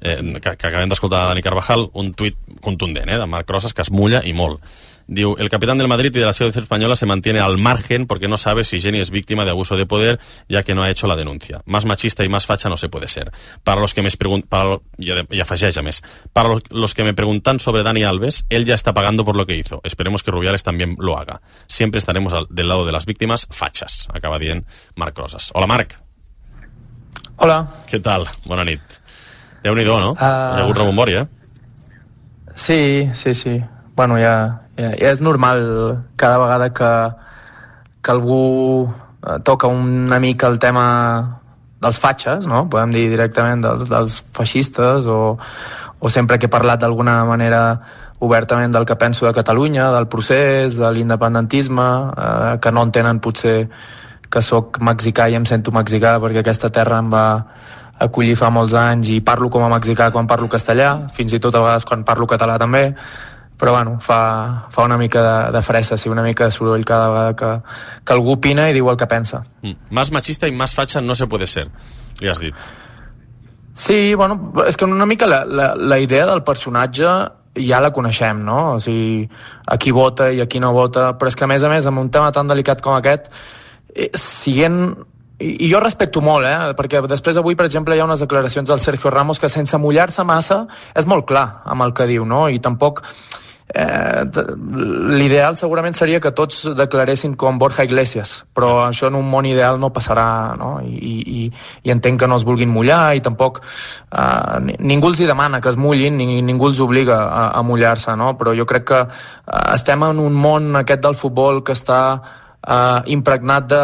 eh, que, que acabem d'escoltar Dani Carvajal, un tuit contundent, eh, de Marc Rosas, que es mulla i molt. Diu, el capitán del Madrid y de la selección española se mantiene al margen porque no sabe si Jenny es víctima de abuso de poder, ya que no ha hecho la denuncia. Más machista y más facha no se puede ser. Para los que me preguntan, y afegeix a més, para los que me preguntan sobre Dani Alves, él ya está pagando por lo que hizo. Esperemos que Rubiales también lo haga. Siempre estaremos al, del lado de las víctimas fachas, acaba dient Marc Rosas. Hola, Marc. Hola. Què tal? Bona nit. Déu-n'hi-do, no? Uh... Hi ha hagut rebombori, eh? Sí, sí, sí. Bueno, ja, ja, ja és normal cada vegada que, que algú toca una mica el tema dels fatxes, no? Podem dir directament dels, dels feixistes, o, o sempre que he parlat d'alguna manera obertament del que penso de Catalunya, del procés, de l'independentisme, eh, que no entenen potser que sóc mexicà i em sento mexicà perquè aquesta terra em va acollir fa molts anys i parlo com a mexicà quan parlo castellà, fins i tot a vegades quan parlo català també, però bueno, fa, fa una mica de, de fressa, sí, una mica de soroll cada vegada que, que algú opina i diu el que pensa. Mm. Más machista i más facha no se puede ser, li has dit. Sí, bueno, és que una mica la, la, la idea del personatge ja la coneixem, no? O sigui, a qui vota i a qui no vota, però és que a més a més, amb un tema tan delicat com aquest, eh, siguent... I, i jo respecto molt, eh? Perquè després avui, per exemple, hi ha unes declaracions del Sergio Ramos que sense mullar-se massa és molt clar amb el que diu, no? I tampoc... Eh, l'ideal segurament seria que tots declaressin com Borja Iglesias, però això en un món ideal no passarà, no? I, i, i entenc que no es vulguin mullar i tampoc eh, ningú els hi demana que es mullin, ni ningú els obliga a, a mullar-se, no? Però jo crec que eh, estem en un món aquest del futbol que està Uh, impregnat de,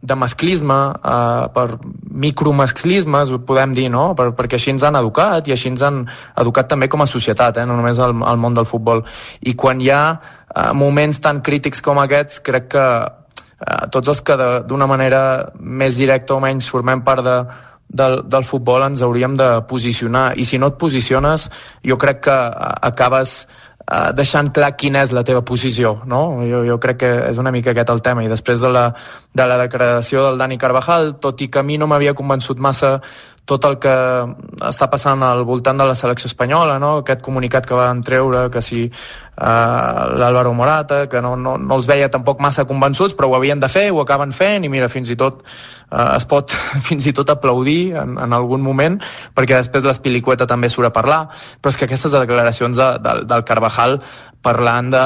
de masclisme, uh, per micromasclismes, ho podem dir, no? Per, perquè així ens han educat i així ens han educat també com a societat, eh? No només al, al món del futbol. I quan hi ha uh, moments tan crítics com aquests, crec que uh, tots els que d'una manera més directa o menys formem part de, del, del futbol ens hauríem de posicionar, i si no et posiciones jo crec que uh, acabes Uh, deixant clar quina és la teva posició, no? Jo, jo crec que és una mica aquest el tema, i després de la, de la declaració del Dani Carvajal, tot i que a mi no m'havia convençut massa tot el que està passant al voltant de la selecció espanyola, no? Aquest comunicat que van treure, que si uh, l'Álvaro Morata, que no, no, no els veia tampoc massa convençuts, però ho havien de fer, ho acaben fent, i mira, fins i tot uh, es pot fins i tot aplaudir en, en algun moment, perquè després l'Espilicueta també surt a parlar, però és que aquestes declaracions de, de, del Carvajal parlant de,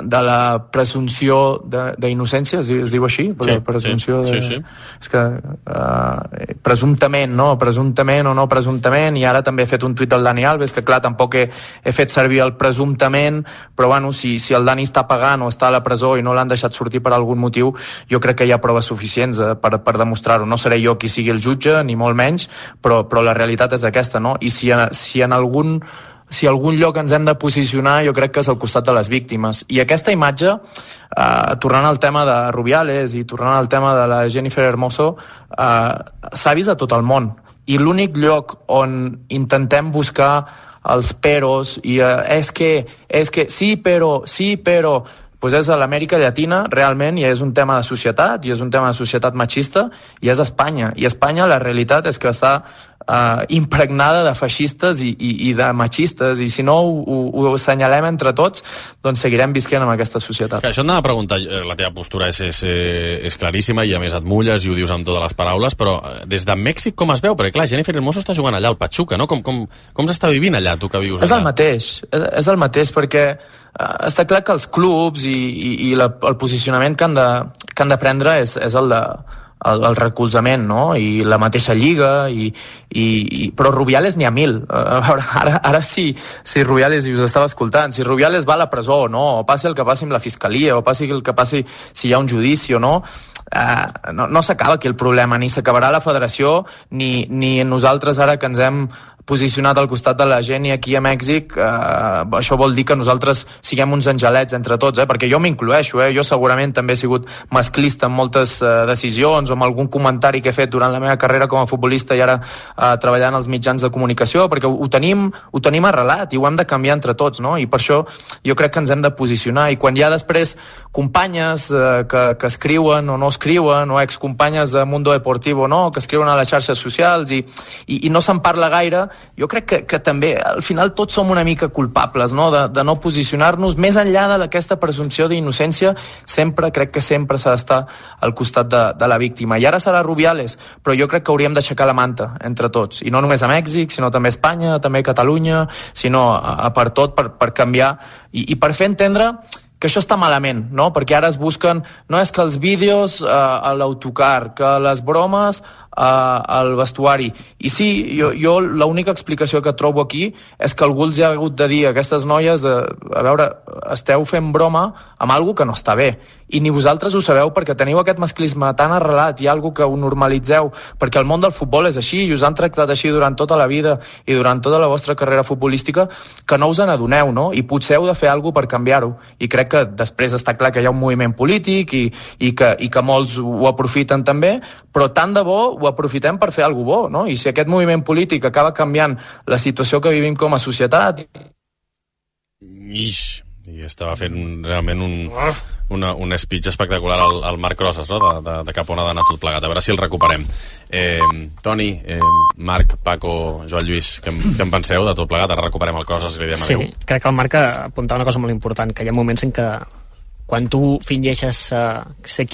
de la presumpció d'innocència, es, es diu així? Sí, presumpció sí, de... sí, sí. És que uh, presumptament, no? Presumptament o no presumptament, i ara també he fet un tuit del Dani Alves, que clar, tampoc he, he fet servir el presumptament, però bueno, si, si el Dani està pagant o està a la presó i no l'han deixat sortir per algun motiu, jo crec que hi ha proves suficients eh, per, per demostrar-ho. No seré jo qui sigui el jutge, ni molt menys, però, però la realitat és aquesta, no? I si, si en algun si algun lloc ens hem de posicionar, jo crec que és al costat de les víctimes. I aquesta imatge, eh, tornant al tema de Rubiales i tornant al tema de la Jennifer Hermoso, eh, s'ha vist a tot el món. I l'únic lloc on intentem buscar els peros i eh, és que, és que sí, però, sí, però... Pues és a l'Amèrica Llatina, realment, i és un tema de societat, i és un tema de societat machista, i és Espanya. I Espanya, la realitat és que està uh, impregnada de feixistes i, i, i de machistes, i si no ho, ho, ho assenyalem entre tots, doncs seguirem visquent en aquesta societat. Que això et anava a preguntar, la teva postura és, és, és claríssima, i a més et mulles i ho dius amb totes les paraules, però des de Mèxic com es veu? Perquè clar, Jennifer Hermoso està jugant allà al Pachuca, no? Com, com, com s'està vivint allà, tu que vius allà? És el mateix, és, és el mateix, perquè Uh, està clar que els clubs i, i, i la, el posicionament que han de, que han de prendre és, és el de el, el recolzament, no? I la mateixa lliga, i, i, i, però Rubiales n'hi ha mil. Uh, a veure, ara, ara sí, si Rubiales, i us estava escoltant, si Rubiales va a la presó o no, o passi el que passi amb la fiscalia, o passi el que passi si hi ha un judici o no, Uh, no, no s'acaba aquí el problema, ni s'acabarà la federació, ni, ni nosaltres ara que ens hem posicionat al costat de la gent i aquí a Mèxic, uh, això vol dir que nosaltres siguem uns angelets entre tots, eh? Perquè jo m'incloeixo, eh? Jo segurament també he sigut masclista en moltes uh, decisions o en algun comentari que he fet durant la meva carrera com a futbolista i ara uh, treballant als mitjans de comunicació, perquè ho, ho, tenim, ho tenim arrelat i ho hem de canviar entre tots, no? I per això jo crec que ens hem de posicionar, i quan hi ha després companyes uh, que, que escriuen o no escriuen, o excompanyes de Mundo Deportivo, no?, que escriuen a les xarxes socials i, i, i no se'n parla gaire, jo crec que, que també al final tots som una mica culpables, no? De, de no posicionar-nos més enllà d'aquesta presumpció d'innocència. Sempre, crec que sempre s'ha d'estar al costat de, de la víctima. I ara serà Rubiales, però jo crec que hauríem d'aixecar la manta entre tots, i no només a Mèxic, sinó també a Espanya, també a Catalunya, sinó a, a per tot, per, per canviar i, i per fer entendre que això està malament, no? Perquè ara es busquen, no és que els vídeos eh, a l'autocar, que les bromes eh, al vestuari. I sí, jo, jo l'única explicació que trobo aquí és que algú els ha hagut de dir a aquestes noies de, a veure, esteu fent broma amb algo que no està bé. I ni vosaltres ho sabeu perquè teniu aquest masclisme tan arrelat, hi ha algo que ho normalitzeu, perquè el món del futbol és així i us han tractat així durant tota la vida i durant tota la vostra carrera futbolística, que no us n'adoneu, no? I potser heu de fer alguna cosa per canviar-ho. I crec que després està clar que hi ha un moviment polític i, i, que, i que molts ho aprofiten també, però tant de bo ho aprofitem per fer alguna cosa bo, no? I si aquest moviment polític acaba canviant la situació que vivim com a societat... Ix, i estava fent realment un... Una, un speech espectacular al, al Marc Rosas, no? de, de, de cap on ha d'anar tot plegat, a veure si el recuperem. eh, Toni, eh, Marc, Paco, Joan Lluís, què, què en penseu de tot plegat? Ara recuperem el Rosas i li diem adéu. Sí, crec que el Marc apuntava una cosa molt important, que hi ha moments en què quan tu fingeixes uh, ser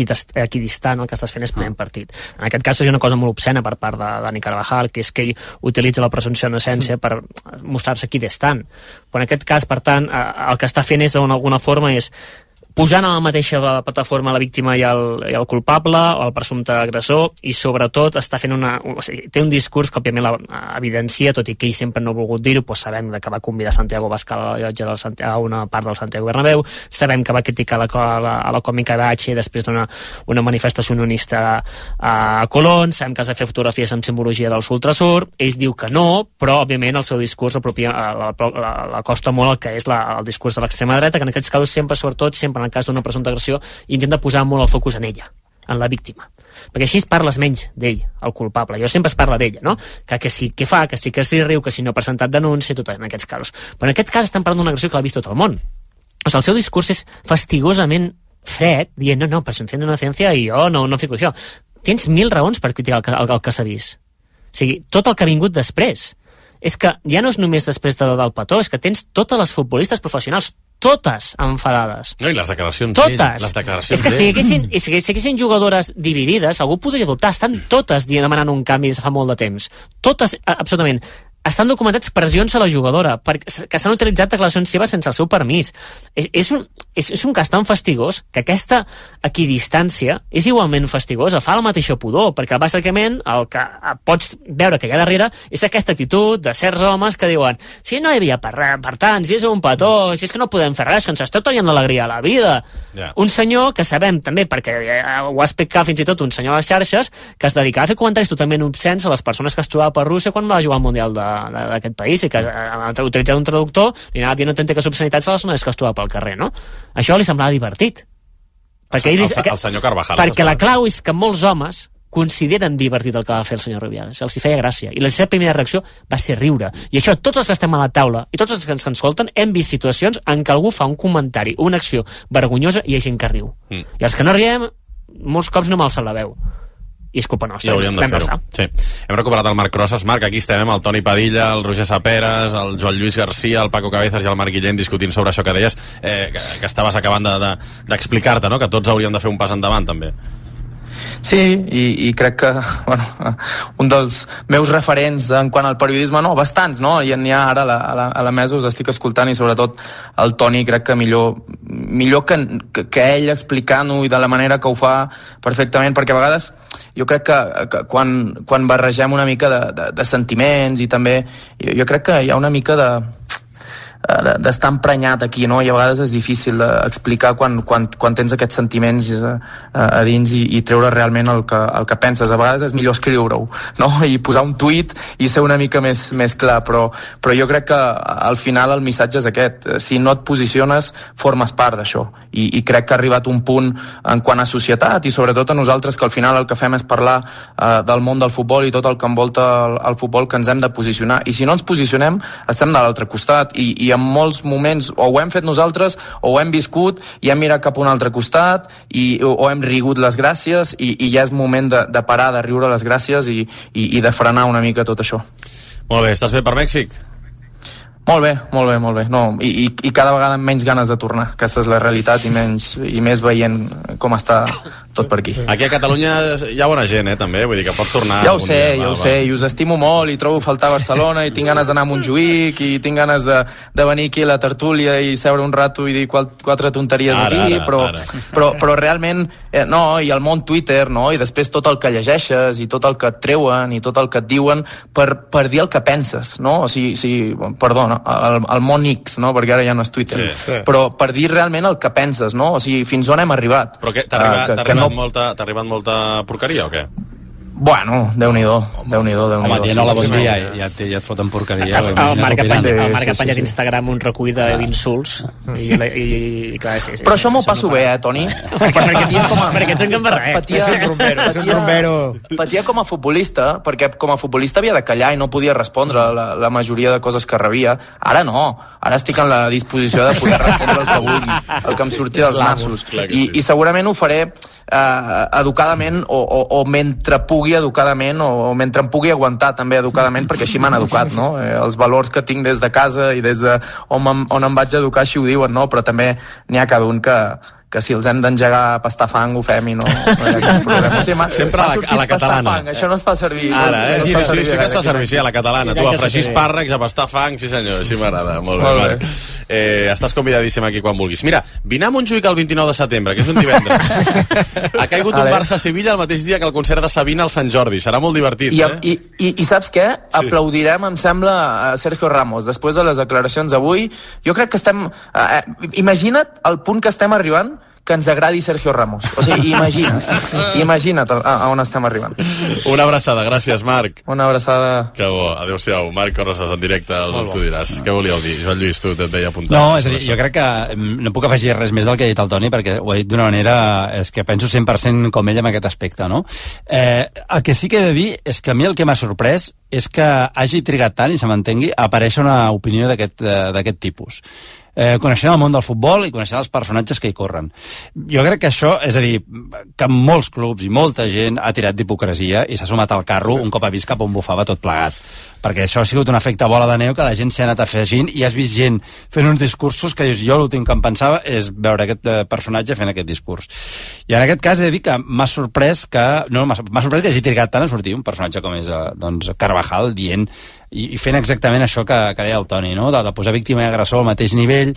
equidistant, el que estàs fent és prenent partit. En aquest cas és una cosa molt obscena per part de Dani Carvajal, que és que ell utilitza la presumpció d'innocència per mostrar-se equidistant. Però en aquest cas, per tant, uh, el que està fent és d'alguna forma és posant a la mateixa plataforma la víctima i el, i el culpable o el presumpte agressor, i sobretot està fent una, o sigui, té un discurs que òbviament la evidencia, tot i que ell sempre no ha volgut dir-ho. Doncs sabem que va convidar Santiago Bascal a la llotja del Santiago, a una part del Santiago Bernabéu, sabem que va criticar la, la, a la còmica H després d'una una manifestació unionista a Colón, sabem que es va fer fotografies amb simbologia del Ultrasur. Ell diu que no, però òbviament el seu discurs apropia, la, la, la costa molt el que és la, el discurs de l'extrema dreta, que en aquests casos sempre, sobretot sempre en el cas d'una presumpta agressió, intenta posar molt el focus en ella, en la víctima, perquè així es parles menys d'ell, el culpable. Jo sempre es parla d'ella, no? Que, que sí que fa, que sí que s'hi riu, que si no ha presentat denúncia, tot en aquests casos. Però en aquest cas estem parlant d'una agressió que l'ha vist tot el món. O sigui, el seu discurs és fastigosament fred, dient, no, no, presumpció d'innocència i jo no, no fico això. Tens mil raons per criticar el, el, el que s'ha vist. O sigui, tot el que ha vingut després. És que ja no és només després de, del petó, és que tens totes les futbolistes professionals, totes enfadades. No, i les declaracions totes. d'ell. Les declaracions és que si haguessin, si haguessin jugadores dividides, algú podria dubtar. Estan totes demanant un canvi des de fa molt de temps. Totes, absolutament. Estan documentats pressions a la jugadora perquè, que s'han utilitzat declaracions seves sense el seu permís. És, és, un, és, és un cas tan fastigós que aquesta equidistància és igualment fastigosa, fa la mateixa pudor, perquè bàsicament el que pots veure que hi ha darrere és aquesta actitud de certs homes que diuen si no hi havia per, per tant, si és un petó, si és que no podem fer res, que ens està traient l'alegria a la vida. Yeah. Un senyor que sabem també, perquè ho ha explicat fins i tot un senyor a les xarxes, que es dedicava a fer comentaris totalment obscens a les persones que es trobava per Rússia quan va jugar al Mundial de d'aquest país, i que utilitzant un traductor li anava dient autèntiques obscenitats a les zones que es troba pel carrer, no? Això li semblava divertit. Perquè el, ell, el, el senyor Carvajal. Perquè la clau és que molts homes consideren divertit el que va fer el senyor Rubiales. Els hi feia gràcia. I la seva primera reacció va ser riure. I això, tots els que estem a la taula i tots els que ens escolten hem vist situacions en què algú fa un comentari, una acció vergonyosa i hi ha gent que riu. Mm. I els que no riem, molts cops no m'alça la veu. I és culpa nostra. I hauríem de fer-ho. Sí. Hem recuperat el Marc Rosas. Marc, aquí estem amb el Toni Padilla, el Roger Saperas, el Joan Lluís Garcia, el Paco Cabezas i el Marc Guillén discutint sobre això que deies, eh, que, que estaves acabant d'explicar-te, de, de, no? Que tots hauríem de fer un pas endavant, també. Sí, i, i crec que bueno, un dels meus referents en quant al periodisme, no, bastants, no? I n'hi ha ara a la, a, la, a la mesa, us estic escoltant, i sobretot el Toni crec que millor, millor que, que, que ell explicant-ho i de la manera que ho fa perfectament, perquè a vegades jo crec que, que quan, quan barregem una mica de, de, de sentiments i també, jo, jo crec que hi ha una mica de d'estar emprenyat aquí, no? I a vegades és difícil explicar quan, quan, quan tens aquests sentiments a, a dins i, i treure realment el que, el que penses. A vegades és millor escriure-ho, no? I posar un tuit i ser una mica més, més clar, però, però jo crec que al final el missatge és aquest. Si no et posiciones, formes part d'això, i, i crec que ha arribat un punt en quant a societat i sobretot a nosaltres, que al final el que fem és parlar uh, del món del futbol i tot el que envolta el, el futbol, que ens hem de posicionar, i si no ens posicionem estem de l'altre costat, i, i en molts moments o ho hem fet nosaltres o ho hem viscut i hem mirat cap a un altre costat i, o, o hem rigut les gràcies, i, i ja és moment de, de parar de riure les gràcies i, i, i de frenar una mica tot això. Molt bé, estàs bé per Mèxic? Molt bé, molt bé, molt bé. No, i, i, I cada vegada amb menys ganes de tornar. Aquesta és la realitat i, menys, i més veient com està tot per aquí. Aquí a Catalunya hi ha bona gent, eh, també. Vull dir que pots tornar... Ja ho sé, dia, ja va, ho va. sé, i us estimo molt, i trobo faltar a Barcelona, i tinc ganes d'anar a Montjuïc, i tinc ganes de, de venir aquí a la tertúlia i seure un rato i dir quatre tonteries ara, aquí, ara, però, ara. però, però realment, eh, no, i el món Twitter, no, i després tot el que llegeixes, i tot el que et treuen, i tot el que et diuen, per, per dir el que penses, no? O sigui, sí, perdona, el, el món X, no? Perquè ara ja no és Twitter, Sí, sí. però per dir realment el que penses, no? O sigui, fins on hem arribat. Però què, t'ha arribat, Uh, que- t'ha que arribat, no- molta, t'ha arribat molta porqueria o què? Bueno, Déu-n'hi-do, Déu-n'hi-do, Déu-n'hi-do. Home, dient hola, bon dia, ja, ja, ja et foten porqueria. El, el Marc ha penjat, el Marc ha Sí, sí, penjat sí. d'Instagram un recull de- d'insults i, i, i, i clar, sí, sí, Però això m'ho no passo para. bé, eh, Toni? perquè, ets, com a, perquè ets un gambarret. Patia, És un rumbero, és un rumbero. patia com a futbolista, perquè com a futbolista havia de callar i no podia respondre la, la majoria de coses que rebia. Ara no, ara estic en la disposició de poder respondre el que vulgui, el que em surti dels nassos. I, i segurament ho faré eh, educadament o, o, o mentre pugui educadament o, o mentre em pugui aguantar també educadament, perquè així m'han educat, no? Eh, els valors que tinc des de casa i des de on, em- on em vaig educar així ho diuen, no? Però també n'hi ha cada un que, que si els hem d'engegar a pastar fang ho fem i no, no hi ha cap problema. O sigui, m'ha- Sempre m'ha a la- sortit a la pastar catalana. fang, això no es fa servir. Ara, eh? no es Sí, fa sí, servir sí que es fa gaire. servir, sí, a la catalana. Tu, a fregir espàrrecs, a pastar fang, sí senyor, així m'agrada. Molt bé, Molt bé. Marc. Eh, estàs convidadíssim aquí quan vulguis. Mira, vine a Montjuïc el vint-i-nou de setembre, que és un divendres. Ha caigut un Vale. Barça-Sevilla el mateix dia que el concert de Sabina al Sant Jordi. Serà molt divertit, I, eh? i, i, I saps què? Sí. Aplaudirem, em sembla, a Sergio Ramos. Després de les declaracions d'avui, jo crec que estem... Eh, imagina't el punt que estem arribant que ens agradi Sergio Ramos. O sigui, imagina't. imagina't a, a on estem arribant. Una abraçada, gràcies, Marc. Una abraçada. Que bo, adéu-siau. Marc Corroses, en directe, el tu diràs. Què volíeu dir? Joan Lluís, tu et veia apuntar. No, és a dir, jo crec que mm, no puc afegir res més del que ha dit el Toni, perquè ho ha dit d'una manera, és que penso cent per cent com ell en aquest aspecte, no? Eh, el que sí que he de dir és que a mi el que m'ha sorprès és que hagi trigat tant, i se m'entengui, a aparèixer una opinió d'aquest eh, d'aquest tipus. Eh, coneixent el món del futbol i coneixent els personatges que hi corren. Jo crec que això, és a dir, que molts clubs i molta gent ha tirat d'hipocresia i s'ha sumat al carro un cop ha vist cap on bufava tot plegat. Perquè això ha sigut un efecte bola de neu que la gent s'ha anat afegint i has vist gent fent uns discursos que dius, jo l'últim que em pensava és veure aquest eh, personatge fent aquest discurs. I en aquest cas he de dir que m'ha sorprès que no, m'ha m'ha sorprès que hagi trigat tant a sortir un personatge com és eh, doncs, Carvajal dient i, i fent exactament això que, que deia el Toni, no? de, de posar víctima i agressor al mateix nivell,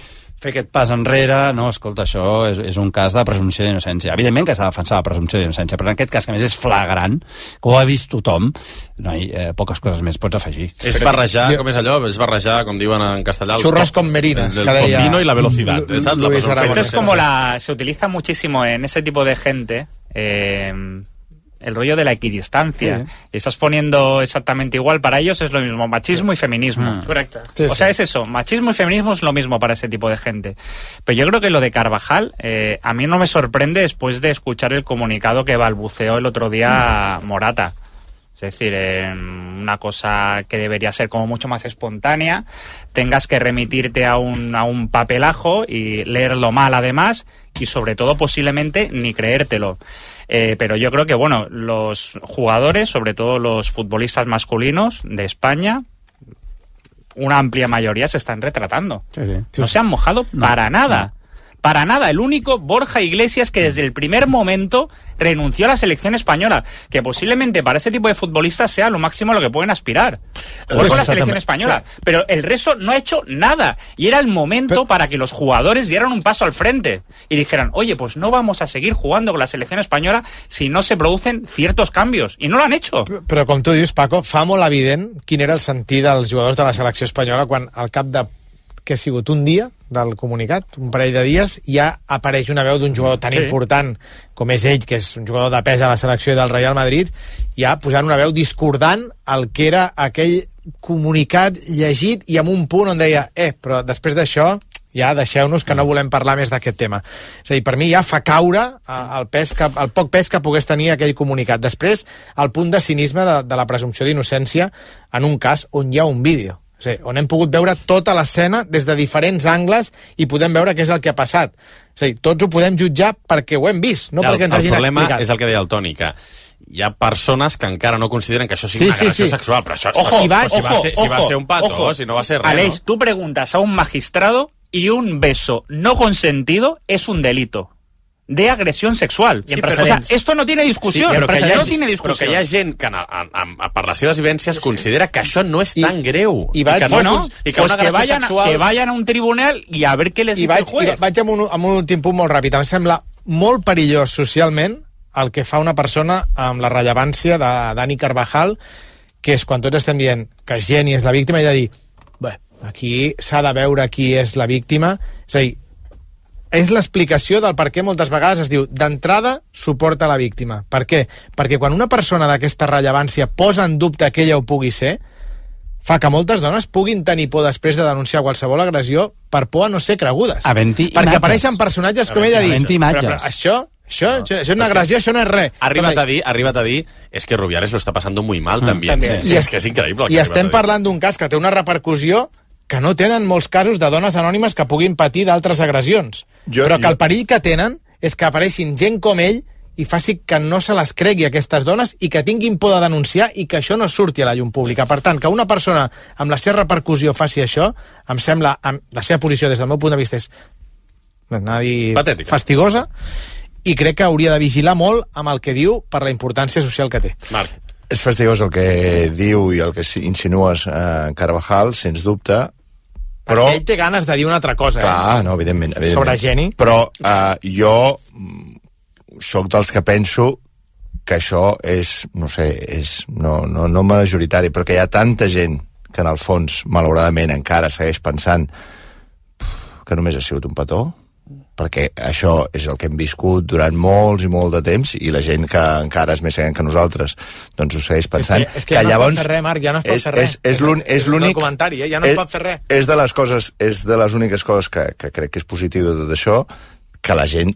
fer aquest pas enrere, no, escolta, això és, és un cas de presumpció d'innocència. Evidentment que s'ha de defensar la presumpció d'innocència, però en aquest cas, que a més és flagrant, que ho ha vist tothom, no, i, eh, poques coses més pots afegir. És barrejar, com és allò? És barrejar, com diuen en castellà... el Churros to- con merinas, El que deia tocino y la velocidad. Lu- ¿sabes? La Luis presumpción Aragonés. Esto es de como inocencia. la... Se utiliza muchísimo en ese tipo de gente... Eh, el rollo de la equidistancia. Sí. Y estás poniendo exactamente igual. Para ellos es lo mismo, machismo y feminismo. Correcte. O sea, es eso, machismo y feminismo es lo mismo para ese tipo de gente. Pero yo creo que lo de Carvajal, eh, a mí no me sorprende después de escuchar el comunicado que balbuceó el otro día Morata. Es decir, eh, una cosa que debería ser como mucho más espontánea, tengas que remitirte a un, a un papelajo y leerlo mal además, y sobre todo posiblemente ni creértelo. Eh, pero yo creo que, bueno, los jugadores, sobre todo los futbolistas masculinos de España, una amplia mayoría se están retratando. Sí, sí. No se han mojado para nada. Para nada. El único, Borja Iglesias, que desde el primer momento renunció a la selección española, que posiblemente para ese tipo de futbolistas sea lo máximo a lo que pueden aspirar. Jugar con la selección española. Pero el resto no ha hecho nada. Y era el momento para que los jugadores dieran un paso al frente y dijeran, oye, pues no vamos a seguir jugando con la selección española si no se producen ciertos cambios. I no l'han hecho. Però com tu dius, Paco, fa molt evident quin era el sentit dels jugadors de la selecció espanyola quan al cap de que ha sigut un dia del comunicat, un parell de dies, ja apareix una veu d'un jugador tan Sí. important com és ell, que és un jugador de pes a la selecció del Real Madrid, ja posant una veu discordant el que era aquell comunicat llegit i amb un punt on deia, eh, però després d'això ja deixeu-nos que no volem parlar més d'aquest tema. És a dir, per mi ja fa caure el, pes que, el poc pes que pogués tenir aquell comunicat. Després, el punt de cinisme de, de la presumpció d'innocència en un cas on hi ha un vídeo. O sigui, on hem pogut veure tota l'escena des de diferents angles i podem veure què és el que ha passat. És a dir, tots ho podem jutjar perquè ho hem vist, no Ja, perquè ens el hagin problema explicat. és el que deia el Toni, que hi ha persones que encara no consideren que això sigui Sí, una sí, agressió sí. sexual, però això Ojo, si, va, si, va ojo, ser, si va ojo, ser un pato, ojo. si no va ser res, Aleix, no? tú preguntas a un magistrado y un beso no consentido es un delito de agresión sexual. Sí, Pero, però- o sea, esto no tiene discusión. Sí, però, que hi ha, no tiene però discusión. que hi ha gent que en, en, en, per les seves vivències considera que això no és tan greu. i vaig- que no, Bueno, i que pues una que agressió vayan, sexual... que vayan a un tribunal y a ver qué les I dice vaig, el juez. i vaig amb, un, amb un últim punt molt ràpid. Em sembla molt perillós socialment el que fa una persona amb la rellevància de Dani Carvajal, que és quan tots estem dient que Geni és la víctima, i de dir, bé, aquí s'ha de veure qui és la víctima. És a dir, és l'explicació del per què moltes vegades es diu d'entrada suporta la víctima. Per què? Perquè quan una persona d'aquesta rellevància posa en dubte que ella ho pugui ser, fa que moltes dones puguin tenir por després de denunciar qualsevol agressió per por a no ser cregudes. Havent-hi Perquè imatges. apareixen personatges com ella ha dit. Havent-hi imatges. Però, però això, això, no. això, això és una agressió, això no és res. Ha arribat a dir, ha arribat a dir és que Rubiales lo está pasando muy mal mm, también. també. Sí, I és que és increïble. el I que ha estem arribat a dir. parlant d'un cas que té una repercussió que no tenen molts casos de dones anònimes que puguin patir d'altres agressions. Jo- Però que jo- el perill que tenen és que apareixin gent com ell i faci que no se les cregui aquestes dones i que tinguin por de denunciar i que això no surti a la llum pública. Per tant, que una persona amb la seva repercussió faci això, em sembla, amb la seva posició des del meu punt de vista és anar a dir, Patètica. fastigosa, i crec que hauria de vigilar molt amb el que diu per la importància social que té. Marc. És fastigós el que diu i el que insinues eh, Carvajal, sens dubte, però... Perquè ell té ganes de dir una altra cosa. Clar, eh? no, evidentment, evidentment. Sobre Geni. Però eh, jo sóc dels que penso que això és, no sé, és no, no, no majoritari, però que hi ha tanta gent que en el fons, malauradament, encara segueix pensant que només ha sigut un petó, perquè això és el que hem viscut durant molts i molt de temps, i la gent que encara és més gran que nosaltres doncs ho segueix pensant. És que, és que, que ja llavors no es pot fer res, Marc, ja no es pot és, fer res. és, és, l'un- és l'únic... el comentari, eh? Ja no es pot fer res. És de les coses, és de les úniques coses que, que crec que és positiu de tot això, que la gent,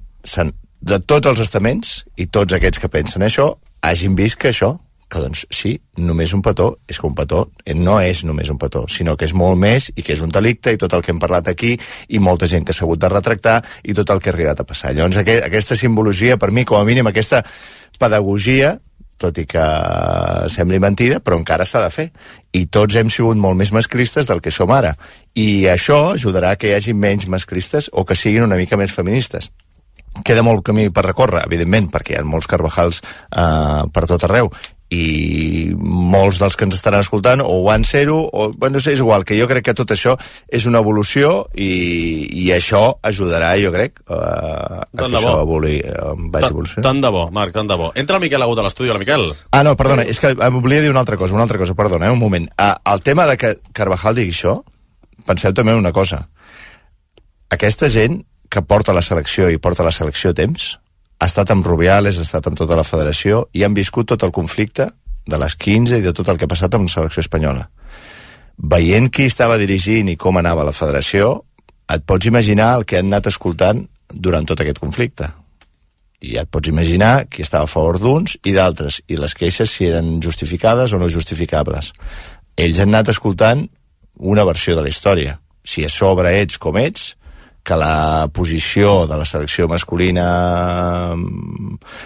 de tots els estaments, i tots aquests que pensen això, hagin vist que això, que doncs sí, només un petó, és que un petó no és només un petó, sinó que és molt més i que és un delicte i tot el que hem parlat aquí i molta gent que s'ha hagut de retractar i tot el que ha arribat a passar. Llavors aqu aquesta simbologia, per mi, com a mínim, aquesta pedagogia, tot i que sembli mentida, però encara s'ha de fer. I tots hem sigut molt més masclistes del que som ara. I això ajudarà que hi hagi menys masclistes o que siguin una mica més feministes. Queda molt camí per recórrer, evidentment, perquè hi ha molts Carvajals eh, per tot arreu, i molts dels que ens estaran escoltant o van ser-ho, o bueno, és igual, que jo crec que tot això és una evolució i, i això ajudarà, jo crec, eh, a que Tant de això bo. evoli, eh, vagi Tant- evolucionant. Tant de bo, Marc, tant de bo. Entra el Miquel Agut a l'estudi. Hola, Miquel. Ah, no, perdona, és que em volia dir una altra cosa, una altra cosa, perdona, eh, un moment. Ah, el tema de que Carvajal digui això, penseu també en una cosa. Aquesta gent que porta la selecció i porta la selecció a temps, ha estat amb Rubiales, ha estat amb tota la federació i han viscut tot el conflicte de les quinze i de tot el que ha passat amb la selecció espanyola. Veient qui estava dirigint i com anava la federació, et pots imaginar el que han anat escoltant durant tot aquest conflicte. I ja et pots imaginar qui estava a favor d'uns i d'altres, i les queixes si eren justificades o no justificables. Ells han anat escoltant una versió de la història. Si a sobre ets com ets, que la posició de la selecció masculina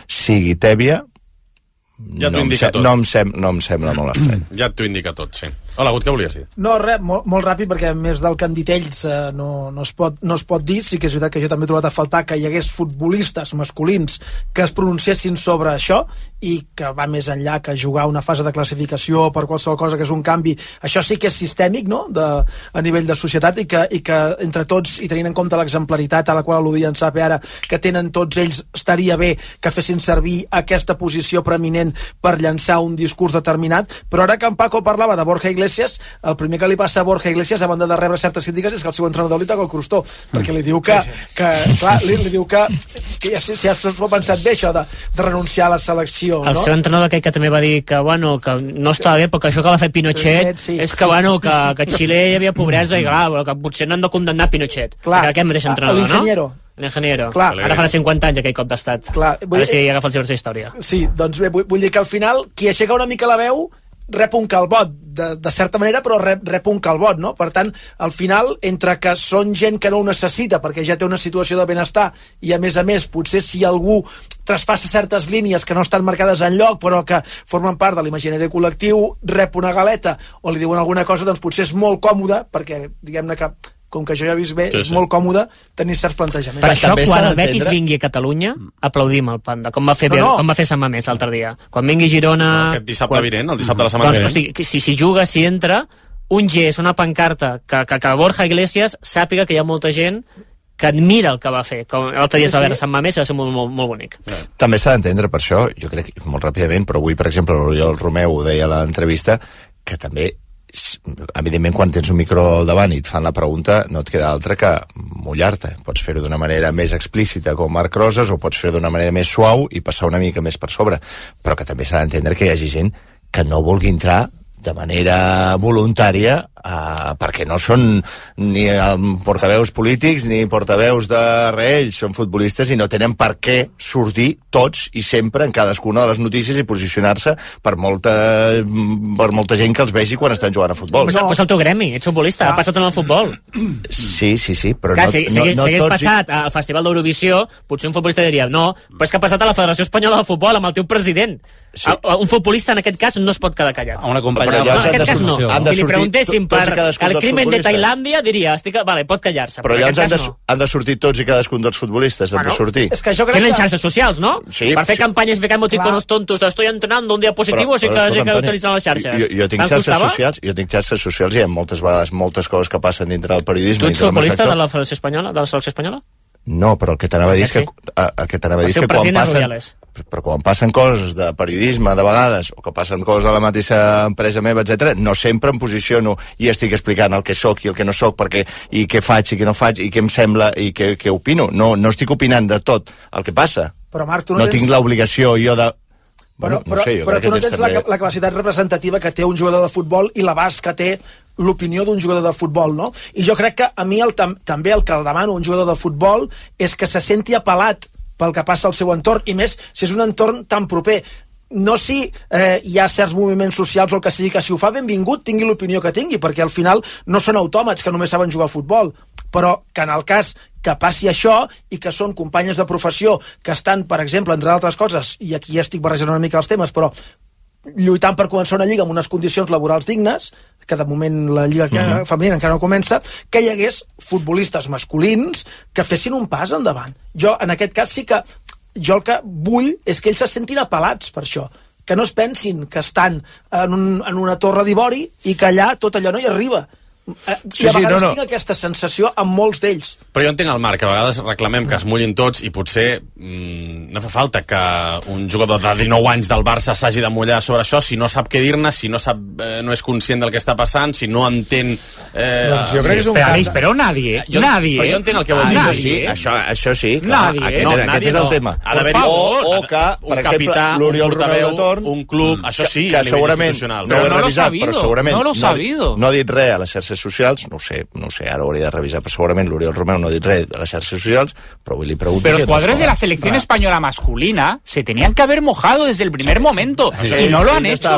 sigui tèbia, Ja t'ho no, em indica se- tot. no, em sem no em sembla molt estrany. Ja t'ho indica tot, sí. Hola, Agut, què volies dir? No, res, molt, molt ràpid, perquè a més del que han dit ells eh, no, no, es pot, no es pot dir. Sí que és veritat que jo també he trobat a faltar que hi hagués futbolistes masculins que es pronunciessin sobre això i que va més enllà que jugar una fase de classificació per qualsevol cosa que és un canvi. Això sí que és sistèmic, no?, de, a nivell de societat, i que, i que entre tots, i tenint en compte l'exemplaritat a la qual al·ludia en Sape ara, que tenen tots ells, estaria bé que fessin servir aquesta posició preeminent per llançar un discurs determinat. Però ara que en Paco parlava de Borja Iglesias, el primer que li passa a Borja Iglesias, a banda de rebre certes crítiques, és que el seu entrenador li toca el crostó, perquè li diu que, que clar, li, li diu que, que ja, si ja s'ho ha pensat bé, això de, de renunciar a la selecció, El no? seu entrenador aquell que també va dir que, bueno, que no estava bé perquè això que va fer Pinochet sí. és que, bueno, que, que a Xile hi havia pobresa i, clar, bueno, que potser no han de condemnar Pinochet. Clar, aquest mateix entrenador, l'ingeniero. no? L'ingeniero. Clar. Ara farà cinquanta anys aquell cop d'estat. Clar, Ara sí, agafa els llibres d'història. Sí, doncs bé, vull, vull dir que al final qui aixeca una mica la veu rep un calbot, de, de certa manera, però rep, rep un calbot, no? Per tant, al final, entre que són gent que no ho necessita perquè ja té una situació de benestar i, a més a més, potser si algú traspassa certes línies que no estan marcades enlloc però que formen part de l'imaginari col·lectiu, rep una galeta o li diuen alguna cosa, doncs potser és molt còmode perquè, diguem-ne que com que jo ja he vist bé, sí, és sí. molt còmode tenir certs plantejaments. Per això, quan el Betis vingui a Catalunya, aplaudim el Panda, com va fer, no, no. com va fer Sant Mamés l'altre dia. Quan vingui Girona... No, aquest dissabte quan... vinent, el dissabte de la doncs, setmana vinent. Hosti, si, si juga, si entra, un gest, una pancarta, que, que, que Borja Iglesias sàpiga que hi ha molta gent que admira el que va fer. Com l'altre dia es va veure Sant Mamés, va ser molt, molt, molt bonic. També s'ha d'entendre per això, jo crec, molt ràpidament, però avui, per exemple, l'Oriol Romeu ho deia a l'entrevista, que també evidentment quan tens un micro al davant i et fan la pregunta no et queda altra que mullar-te. Pots fer-ho d'una manera més explícita com Marc Rosas o pots fer-ho d'una manera més suau i passar una mica més per sobre, però que també s'ha d'entendre que hi hagi gent que no vulgui entrar de manera voluntària eh, perquè no són ni portaveus polítics ni portaveus de reells, són futbolistes i no tenen per què sortir tots i sempre en cadascuna de les notícies i posicionar-se per molta, per molta gent que els vegi quan estan jugant a futbol. Pues, no. pues el teu gremi, ets futbolista, ah. ha passat en el futbol. Sí, sí, sí, però Clar, no, si, no, si, no si hagués tots... passat al Festival d'Eurovisió, potser un futbolista diria no, però és que ha passat a la Federació Espanyola de Futbol amb el teu president. Sí. Un futbolista en aquest cas no es pot quedar callat. A una companya. No, en aquest cas no. Han de si li preguntéssim per el crimen de Tailàndia, diria, estic... vale, pot callar-se. Però llavors han de, no. han de sortir tots i cadascun dels futbolistes, han bueno, de sortir. És que jo crec Tenen que... xarxes socials, no? Sí, per fer sí. campanyes de emoticonos tontos de estoy entrenando un dia positivo, sí que he d'utilitzar les xarxes. Jo, jo tinc xarxes socials, jo tinc xarxes socials i hi ha moltes vegades moltes coses que passen dintre del periodisme. Tu ets futbolista de la Federació Espanyola, de la selecció espanyola? No, però el que t'anava a dir és que, el que, t'anava a dir és que quan passen, però quan passen coses de periodisme de vegades, o que passen coses a la mateixa empresa meva, etcètera, no sempre em posiciono i estic explicant el que sóc i el que no sóc, perquè, i què faig i què no faig, i què em sembla i què, què opino. No, no estic opinant de tot el que passa. Però, Marc, tu no, no tens... tinc l'obligació jo de... Bueno, però, no sé, jo però tu no tens també... la, la capacitat representativa que té un jugador de futbol i l'abast que té l'opinió d'un jugador de futbol, no? I jo crec que a mi el, tam, també el que el demano un jugador de futbol és que se senti apel·lat pel que passa al seu entorn, i més si és un entorn tan proper. No si eh, hi ha certs moviments socials o el que sigui, que si ho fa benvingut tingui l'opinió que tingui, perquè al final no són autòmats que només saben jugar a futbol, però que en el cas que passi això i que són companyes de professió que estan, per exemple, entre altres coses, i aquí ja estic barrejant una mica els temes, però lluitant per començar una lliga amb unes condicions laborals dignes, que de moment la lliga mm-hmm. femenina encara no comença, que hi hagués futbolistes masculins que fessin un pas endavant. Jo, en aquest cas, sí que jo el que vull és que ells se sentin apel·lats per això, que no es pensin que estan en, un, en una torre d'ivori i que allà tot allò no hi arriba. Sí, I a vegades sí, no, no. tinc aquesta sensació amb molts d'ells. Però jo entenc el Marc, que a vegades reclamem que es mullin tots i potser mmm, no fa falta que un jugador de dinou anys del Barça s'hagi de mullar sobre això si no sap què dir-ne, si no sap eh, no és conscient del que està passant, si no entén... Eh, doncs jo crec que és un però, però nadie, jo, nadie. Però jo entenc el que vol dir. Ah, sí, això, això sí, clar, nadie, aquest, no, aquest nadie és el no. tema. Ha d'haver o, o que, per exemple, capità, l'Oriol Romeu de Torn, un club, això sí, que, a que nivell segurament institucional. no ho he no revisat, però segurament no, no, no ha dit res a les xarxes socials, no ho sé, no sé, ara ho hauria de revisar, però segurament l'Oriol Romeu no ha dit res a las xarxes socials, però avui li pregunto... Pero los jugadores de la selección española masculina se tenían que haber mojado desde el primer momento, y no lo han hecho,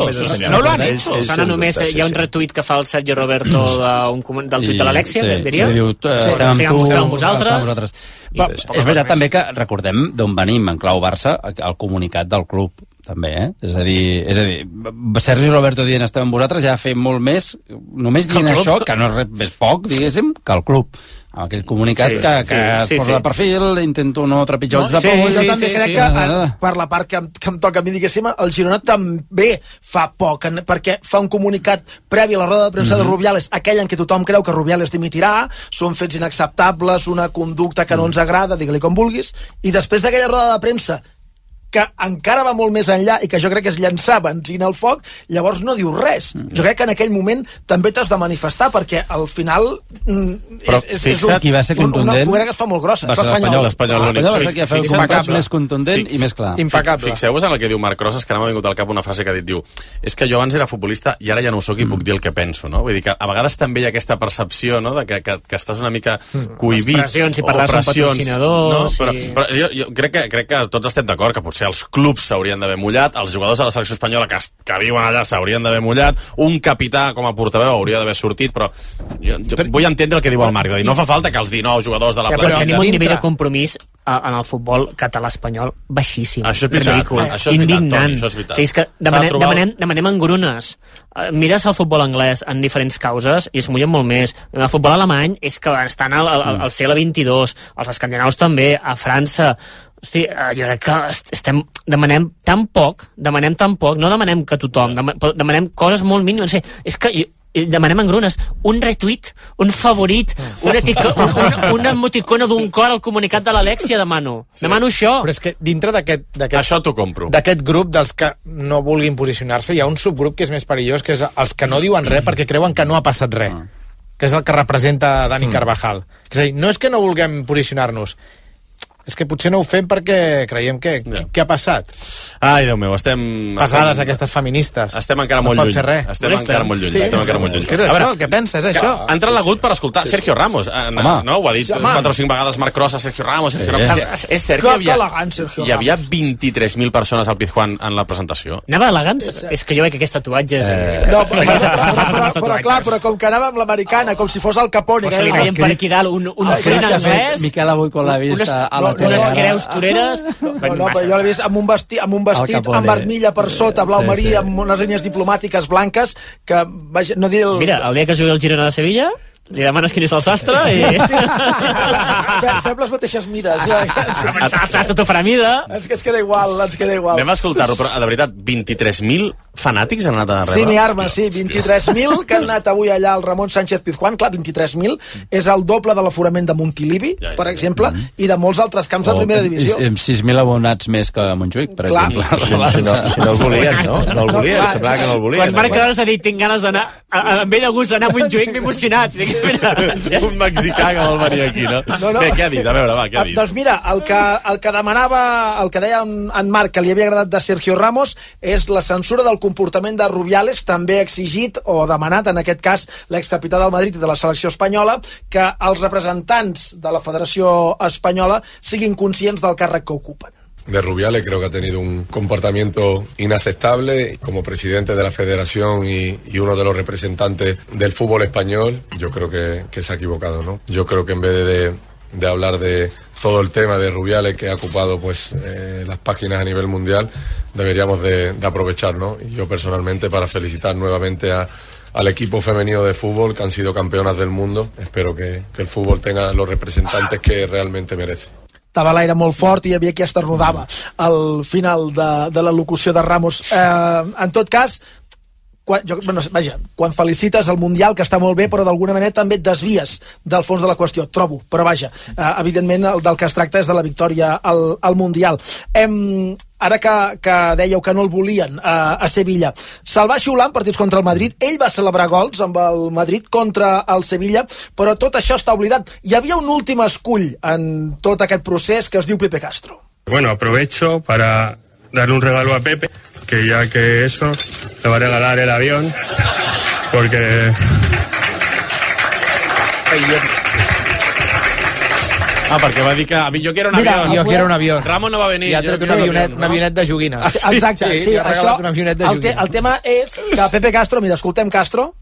no lo han hecho. Sona només, hi ha un retuit que fa el Sergio Roberto del tuit de l'Alexia, diria? Sí, diu, estem amb tu, amb vosaltres. És veritat també que recordem d'on venim en clau Barça, el comunicat del club, també, eh? És a dir, és a dir Sergi Roberto dient estem amb vosaltres ja ha fet molt més, només dient això, que no és res més poc, diguéssim, que el club. Amb aquell comunicat sí, que, sí, que es sí, posa sí. de perfil, intento no trepitjar no, ulls de sí, poll. sí, jo també sí, crec sí, que, sí. per la part que em, que em toca a mi, diguéssim, el Girona també fa poc, perquè fa un comunicat previ a la roda de premsa mm-hmm. de Rubiales, aquell en què tothom creu que Rubiales dimitirà, són fets inacceptables, una conducta que no ens agrada, digue-li com vulguis, i després d'aquella roda de premsa que encara va molt més enllà i que jo crec que és llançar benzina al foc, llavors no diu res. Jo crec que en aquell moment també t'has de manifestar, perquè al final mm, però és, és, fixa, és un, qui va ser contundent, una foguera que es fa molt grossa. Va ser l'Espanyol. L'Espanyol l'únic. Va ser qui va fer un comunicat més contundent i més clar. Impecable. Fixeu-vos en el que diu Marc Rosas, que ara m'ha vingut al cap una frase que ha dit, diu, és que jo abans era futbolista i ara ja no ho soc i puc dir el que penso, no? Vull dir que a vegades també hi ha aquesta percepció, no?, de que, que, que estàs una mica cohibit. Les pressions, si parles amb patrocinadors... No? Però, però jo, jo crec, que, crec que tots estem d'acord que potser potser els clubs s'haurien d'haver mullat, els jugadors de la selecció espanyola que, que viuen allà s'haurien d'haver mullat, un capità com a portaveu hauria d'haver sortit, però jo, jo vull entendre el que diu el Marc, de dir, no fa falta que els dinou jugadors de la ja, però plantilla... tenim un nivell de compromís en el futbol català-espanyol baixíssim. Això és veritat, ridícul, això és veritat, indignant. Toni, això és veritat. O sigui, és que demanem, de demanem, demanem engrunes. Mires el futbol anglès en diferents causes i es mullen molt més. El futbol alemany és que estan al, al, al segle vint-i-dos, els escandinaus també, a França. Hosti, jo crec que estem, demanem tan poc, demanem tan poc, no demanem que tothom, demanem coses molt mínimes. No sé, és que jo, demanem engrunes, un retweet, un favorit, una, etico, una, una emoticona d'un cor al comunicat de l'Alexia, demano. Sí. Demano això. Però és que dintre d'aquest... Això t'ho compro. D'aquest grup dels que no vulguin posicionar-se, hi ha un subgrup que és més perillós, que és els que no diuen res perquè creuen que no ha passat res. Mm. Que és el que representa Dani mm. Carvajal. És a dir, no és que no vulguem posicionar-nos, és que potser no ho fem perquè creiem que... Ja. Què ha passat? Ai, Déu meu, estem... Passades estem, aquestes feministes. Estem encara no molt lluny. Res. Estem sí, encara molt lluny. Sí, estem encara molt lluny. És això, el que pensa, és això. Ha entrat l'agut per escoltar Sergio Ramos. No, no, ho ha dit sí, quatre o cinc vegades Marc Cross a Sergio Ramos. Sergio Ramos. Sí. És cert que hi havia, hi havia vint-i-tres mil persones al Pizjuán en la presentació. Anava elegants? És que jo veig que aquests tatuatges... Eh... No, però, però, però, però, però, clar, però com que anava amb l'americana, com si fos el Capone. Se li caien per aquí dalt un, un frin encès... Miquel avui quan l'ha vist a la tele. Unes creus toreres... No, no, però jo l'he vist amb un vestit, amb, un vestit amb armilla per sota, blau sí, marí, sí. amb unes línies diplomàtiques blanques, que, vaja, no dir... El... Mira, el dia que jugui el Girona de Sevilla... li demanes quin és el sastre i... Fem les mateixes mides. El sastre t'ho farà mida. Ens, ens queda igual, ens queda igual. Anem a escoltar-ho, però de veritat, vint-i-tres mil fanàtics han anat a rebre? Sí, mi arma, sí, vint-i-tres mil que han anat avui allà al Ramon Sánchez Pizjuán. Clar, vint-i-tres mil és el doble de l'aforament de Montilivi, ja, ja, per exemple, ja. i de molts altres camps de primera divisió. Amb sis mil abonats més que Montjuïc, per clar. exemple. Si, si, no, si no el volien, no? No el volien, no, semblava que no el volien. Quan Marc Cross ha dit, tinc ganes d'anar, amb ell de gust anar a Montjuïc, m'he emocionat. Un mexicà que vol venir aquí, no? no, no. Què, què ha dit? A veure, va, què ha dit? Doncs mira, el que, el que demanava, el que deia en Marc que li havia agradat de Sergio Ramos és la censura del comportament de Rubiales, també exigit o demanat, en aquest cas, l'excapità del Madrid i de la selecció espanyola, que els representants de la Federació Espanyola siguin conscients del càrrec que ocupen. De Rubiales creo que ha tenido un comportamiento inaceptable como presidente de la federación y, y uno de los representantes del fútbol español. Yo creo que, que se ha equivocado, ¿no? Yo creo que en vez de, de hablar de todo el tema de Rubiales que ha ocupado pues eh, las páginas a nivel mundial, deberíamos de, de aprovechar, ¿no? Y yo personalmente para felicitar nuevamente a al equipo femenino de fútbol que han sido campeonas del mundo. Espero que, que el fútbol tenga los representantes que realmente merece. Estava l'aire molt fort i hi havia qui esternudava al final de, de la locució de Ramos. Eh, en tot cas, quan, jo, bueno, vaja, quan felicites el Mundial, que està molt bé, però d'alguna manera també et desvies del fons de la qüestió, trobo, però vaja, eh, evidentment el del que es tracta és de la victòria al, al Mundial. Em, ara que, que dèieu que no el volien eh, a Sevilla, se'l va xiular en partits contra el Madrid, ell va celebrar gols amb el Madrid contra el Sevilla, però tot això està oblidat. Hi havia un últim escull en tot aquest procés que es diu Pepe Castro. Bueno, aprovecho para darle un regalo a Pepe, que ya que eso, le va a regalar el avión, porque... Ah, perquè va dir que jo quiero un Mira, avión. Jo quiero un avión. Ramon no va venir. I ha tret un avionet, un avionet de joguines. Sí, exacte, sí, sí, sí ha regalat això, un avionet de el, te, el tema és que Pepe Castro, mira, escoltem Castro.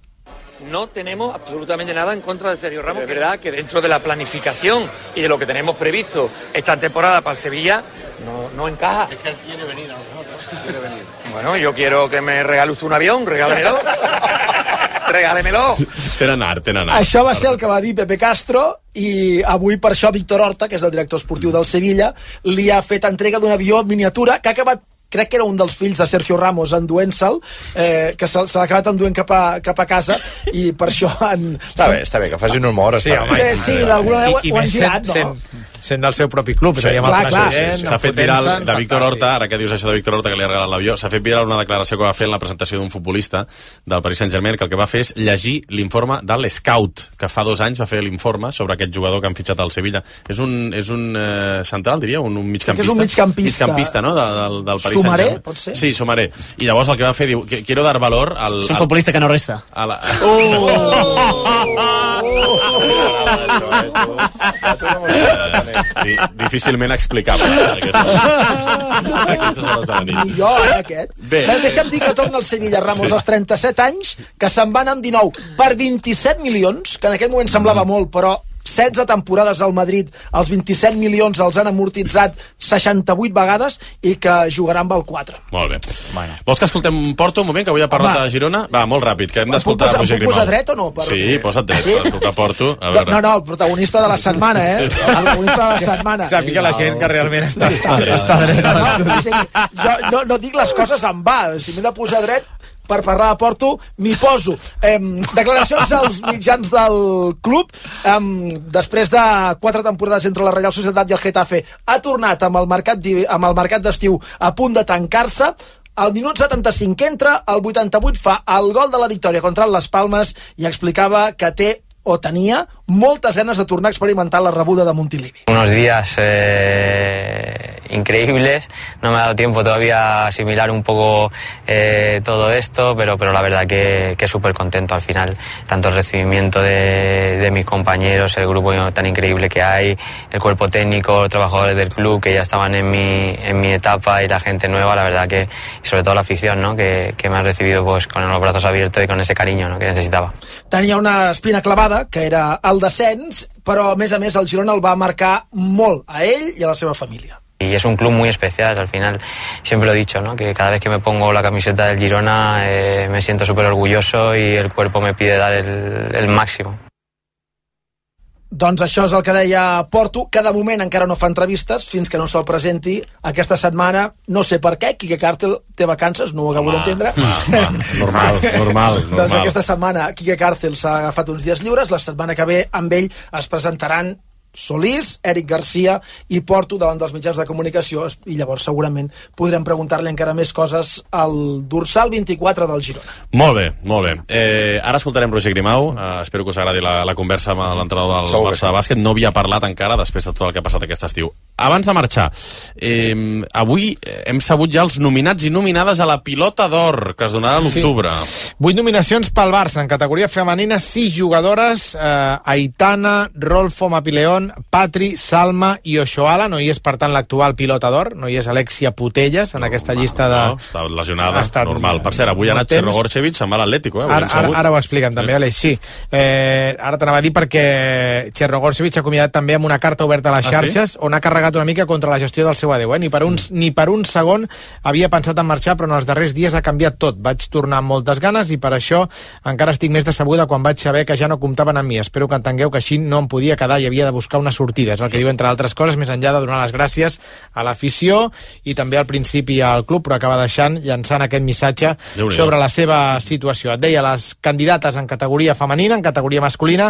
No tenemos absolutamente nada en contra de Sergio Ramos. Es verdad que dentro de la planificación y de lo que tenemos previsto esta temporada para el Sevilla, no, no encaja. Es que él quiere venir a nosotros. Quiere venir. Bueno, yo quiero que me regale usted un avión, regálemelo. Regálemelo. Tenen art, tenen art. Això va ser el que va dir Pepe Castro i avui per això Víctor Horta, que és el director esportiu del Sevilla, li ha fet entrega d'un avió miniatura que ha acabat, crec que era un dels fills de Sergio Ramos enduent-se'l, eh, que se, se l'ha acabat enduent cap a, cap a casa i per això han... Està bé, està bé, que facin humor. Sí, home, eh, sí, d'alguna manera ho han girat, no? Sent, sent del seu propi club, sí, clar, clar, sí, sí, sí. S'ha fet viral de Víctor Horta, ara que dius això de Víctor Horta que li ha regalat l'avió, s'ha fet viral una declaració que va fer en la presentació d'un futbolista del Paris Saint-Germain, que el que va fer és llegir l'informe de l'Scout, que fa dos anys va fer l'informe sobre aquest jugador que han fitxat al Sevilla. És un, és un eh, central, diria, un, un migcampista. És un migcampista. Migcampista, no?, de, del, del Paris Sumaré, Saint-Germain. pot ser? Sí, Sumaré. I llavors el que va fer, diu, quiero dar valor al... És un futbolista que no resta. A la... Difícilment explicable. Aquestes hores de la nit. Millor, eh, aquest. Bé. Bé, deixa'm dir que torna el Sevilla Ramos Sí. als trenta-set anys, que se'n van amb dinou per vint-i-set milions, que en aquell moment semblava molt, però setze temporades al Madrid, els vint-i-set milions els han amortitzat seixanta-vuit vegades i que jugarà amb el quatre. Molt bé. Bueno. Vols que escoltem Porto un moment, que avui ha parlat Home. de Girona? Va, molt ràpid, que hem Em puc d'escoltar posar- Roger em puc posar Grimau. dret o no? Per- Sí, posa't dret, Sí? per escoltar Porto. A No, veure. no, no, el protagonista de la setmana, eh? El protagonista de la setmana. Sàpiga la gent que realment està, Sí, està, sí. està dret a No, l'estudi. sí, jo no, no dic les coses en va. Si m'he de posar dret per parlar de Porto, m'hi poso. Eh, declaracions als mitjans del club. Eh, després de quatre temporades entre la Reial Societat i el Getafe, ha tornat amb el mercat di- amb el mercat d'estiu a punt de tancar-se. Al minut setanta-cinc entra, al vuitanta-vuit fa el gol de la victòria contra el Las Palmes i explicava que té o tenia moltes ganes de tornar a experimentar la rebuda de Montilivi. Unos días eh, increíbles, no me ha dado tiempo todavía a asimilar un poco eh, todo esto, pero, pero la verdad que, que súper contento al final, tanto el recibimiento de, de mis compañeros, el grupo tan increíble que hay, el cuerpo técnico, los trabajadores del club que ya estaban en mi, en mi etapa y la gente nueva, la verdad que, y sobre todo la afición, ¿no? que, que me ha recibido pues con los brazos abiertos y con ese cariño, ¿no? que necesitaba. Tenia una espina clavada, que era el descens, però a més a més el Girona el va marcar molt a ell i a la seva família. Y es un club muy especial, al final siempre lo he dicho, ¿no? que cada vez que me pongo la camiseta del Girona eh, me siento súper orgulloso y el cuerpo me pide dar el, el máximo. Doncs això és el que deia Porto, que de moment encara no fa entrevistes fins que no se'l presenti aquesta setmana. No sé per què, Quique Càrcel té vacances, no ho acabo d'entendre. Normal, normal, Doncs normal. aquesta setmana Quique Càrcel s'ha agafat uns dies lliures, la setmana que ve amb ell es presentaran Solís, Eric Garcia i Porto davant dels mitjans de comunicació, i llavors segurament podrem preguntar-li encara més coses al dorsal vint-i-quatre del Girona. Molt bé, molt bé. Eh, ara escoltarem Roger Grimau. Eh, espero que us agradi la, la conversa amb l'entrenador del Segur que Barça de bàsquet. No havia parlat encara després de tot el que ha passat aquest estiu. Abans de marxar, eh, avui hem sabut ja els nominats i nominades a la Pilota d'Or, que es donarà a l'octubre. Sí. Vuit nominacions pel Barça. En categoria femenina, sis jugadores. Eh, Aitana, Rolfo Mapileón, Patri, Salma i Oshoala. No hi és, per tant, l'actual Pilota d'Or. No hi és Alexia Putelles en no, aquesta llista de... No, està lesionada, Ha estat normal. Per cert, avui ha anat Cherno Gorcevic, se'n va a l'Atlético. Eh? Ara, ara, ara ho expliquen també, Aleix, sí. Eh, ara t'anava a dir perquè Cherno Gorcevic s'ha acomiadat també amb una carta oberta a les xarxes, ah, sí? on ha carregat una mica contra la gestió del seu adeu. Eh? Ni, per un, ni per un segon havia pensat en marxar, però en els darrers dies ha canviat tot. Vaig tornar amb moltes ganes i per això encara estic més decebuda quan vaig saber que ja no comptaven amb mi. Espero que entengueu que així no em podia quedar i havia de buscar una sortida. És el que diu, entre altres coses, més enllà de donar les gràcies a l'afició i també al principi al club, però acaba deixant, llançant aquest missatge sobre la seva situació. Et deia, les candidates en categoria femenina, en categoria masculina,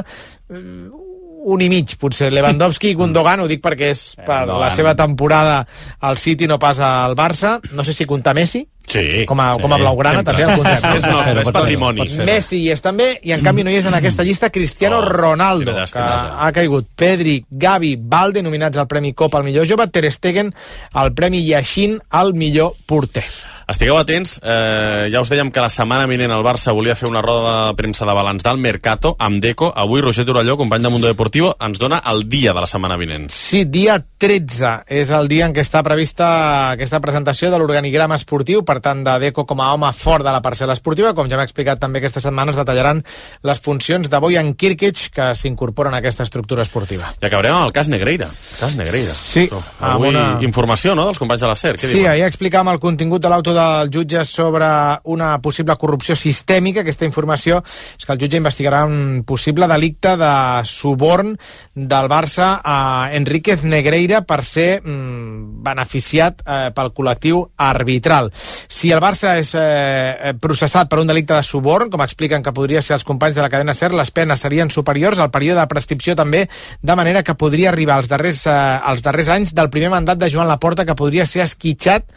un i mig, potser Lewandowski i Gundogan, ho dic perquè és per la seva temporada al City, no pas al Barça. No sé si comptar Messi, sí, com a, sí, com a blaugrana, sempre. també el comptem. És nostre, és patrimoni. Messi hi és també, i en canvi no hi és en aquesta llista Cristiano Oh, Ronaldo, quina que llàstima, ha caigut. Pedri, Gavi, Balde, nominats al Premi Copa al millor jove, Ter Stegen al Premi Yashin al millor porter. Estigueu atents, eh, ja us dèiem que la setmana vinent el Barça volia fer una roda de premsa de balanç del Mercato amb Deco. Avui Roger Torelló, company de Mundo Deportivo, ens dona el dia de la setmana vinent. Sí, dia tretze és el dia en què està prevista aquesta presentació de l'organigrama esportiu, per tant de Deco com a home fort de la parcel·la esportiva. Com ja hem explicat també aquesta setmana, es detallaran les funcions de Bojan Kirkic que s'incorporen a aquesta estructura esportiva. I acabarem amb el cas Negreira. Cas Negreira. Sí. Avui una... informació, no?, dels companys de la SER. Què Sí, diuen? ahir explicàvem el contingut de l'auto del jutge sobre una possible corrupció sistèmica. Aquesta informació és que el jutge investigarà un possible delicte de suborn del Barça a Enríquez Negreira per ser mm, beneficiat eh, pel col·lectiu arbitral. Si el Barça és eh, processat per un delicte de suborn, com expliquen que podria ser els companys de la cadena SER, les penes serien superiors al període de prescripció també, de manera que podria arribar als darrers, eh, als darrers anys del primer mandat de Joan Laporta, que podria ser esquitxat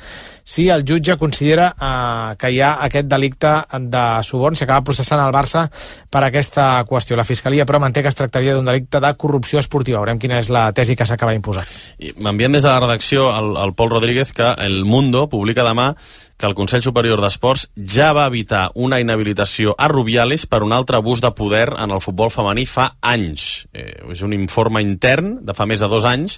si el jutge considera eh, que hi ha aquest delicte de suborn. S'acaba processant el Barça per aquesta qüestió. La Fiscalia, però, manté que es tractaria d'un delicte de corrupció esportiva. Veurem quina és la tesi que s'acaba imposant. M'envien des de la redacció el, el Pol Rodríguez que El Mundo publica demà que el Consell Superior d'Esports ja va evitar una inhabilitació a Rubiales per un altre abús de poder en el futbol femení fa anys. Eh, és un informe intern de fa més de dos anys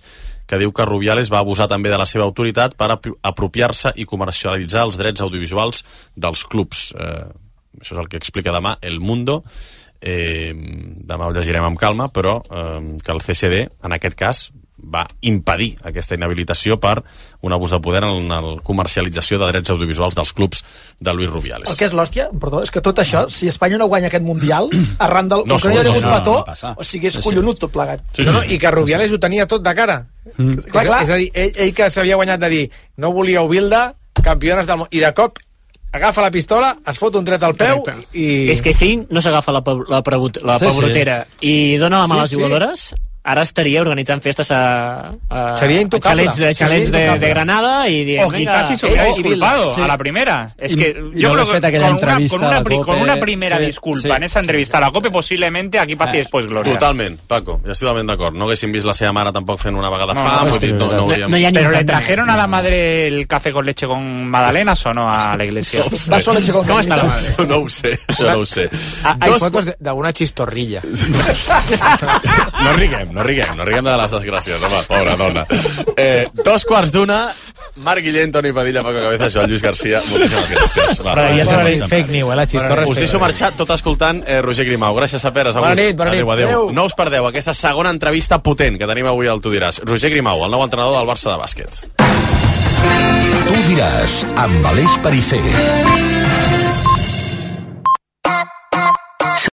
que diu que Rubiales va abusar també de la seva autoritat per apropiar-se i comercialitzar els drets audiovisuals dels clubs. Eh, això és el que explica demà El Mundo. Eh, demà ho llegirem amb calma, però eh, que el C S D, en aquest cas, va impedir aquesta inhabilitació per un abús de poder en la comercialització de drets audiovisuals dels clubs de Luis Rubiales. El que és l'hòstia, perdó, és que tot això, si Espanya no guanya aquest Mundial, arran del... No, com que no hi ha hagut no, petó, no, no o sigui, és collonut tot plegat. Sí, sí, no, no, i que Rubiales ho tenia tot de cara. Mm. Clar, clar. És a dir, ell, ell que s'havia guanyat de dir no volíeu Bilda, campiones del món, i de cop agafa la pistola, es fot un tret al peu i... És que si no s'agafa la, la, la Sí, sí. pebrotera i dona la mà a les Sí, sí. jugadores, ara estaria organitzant festes a, a, Seria intocable. a xalets, de, Sí, xalets sí, de, intocable. de Granada y de, O quizás si se hubiera disculpado a la primera. Es que Y yo no creo le feta que aquella con una, entrevista con, una, a la pri- COPE, con una primera sí, disculpa sí. en esa entrevista a la COPE, posiblemente aquí passi després glòria. Totalment, Paco, ja estic totalment d'acord. No haguéssim vist la seva mare tampoc fent una vegada No, fam, no, vull dir, no, no, hauríem... Pero le trajeron a la madre el café con leche con magdalenas o no a la iglesia. Vaso leche con ¿Cómo está la madre? Això no ho sé, això no ho sé. Ah, hay Dos- fotos de- d'alguna chistorrilla. No riguem, no riguem, no riguem de les desgràcies, home, pobra dona. Eh, dos quarts d'una, Marc Guillén, Toni Padilla, Paco Cabezas, Joan Lluís Garcia, moltíssimes gràcies. Va, Però ja va, s'ha va, dit va. fake news, eh, la xistorra és Us fake deixo news. marxar tot escoltant eh, Roger Grimau. Gràcies, Saperes. Bona nit, bona nit. Adéu, adéu. Adéu. No us perdeu aquesta segona entrevista potent que tenim avui al Tu diràs. Roger Grimau, el nou entrenador del Barça de bàsquet. Tu diràs, amb Aleix Perisser.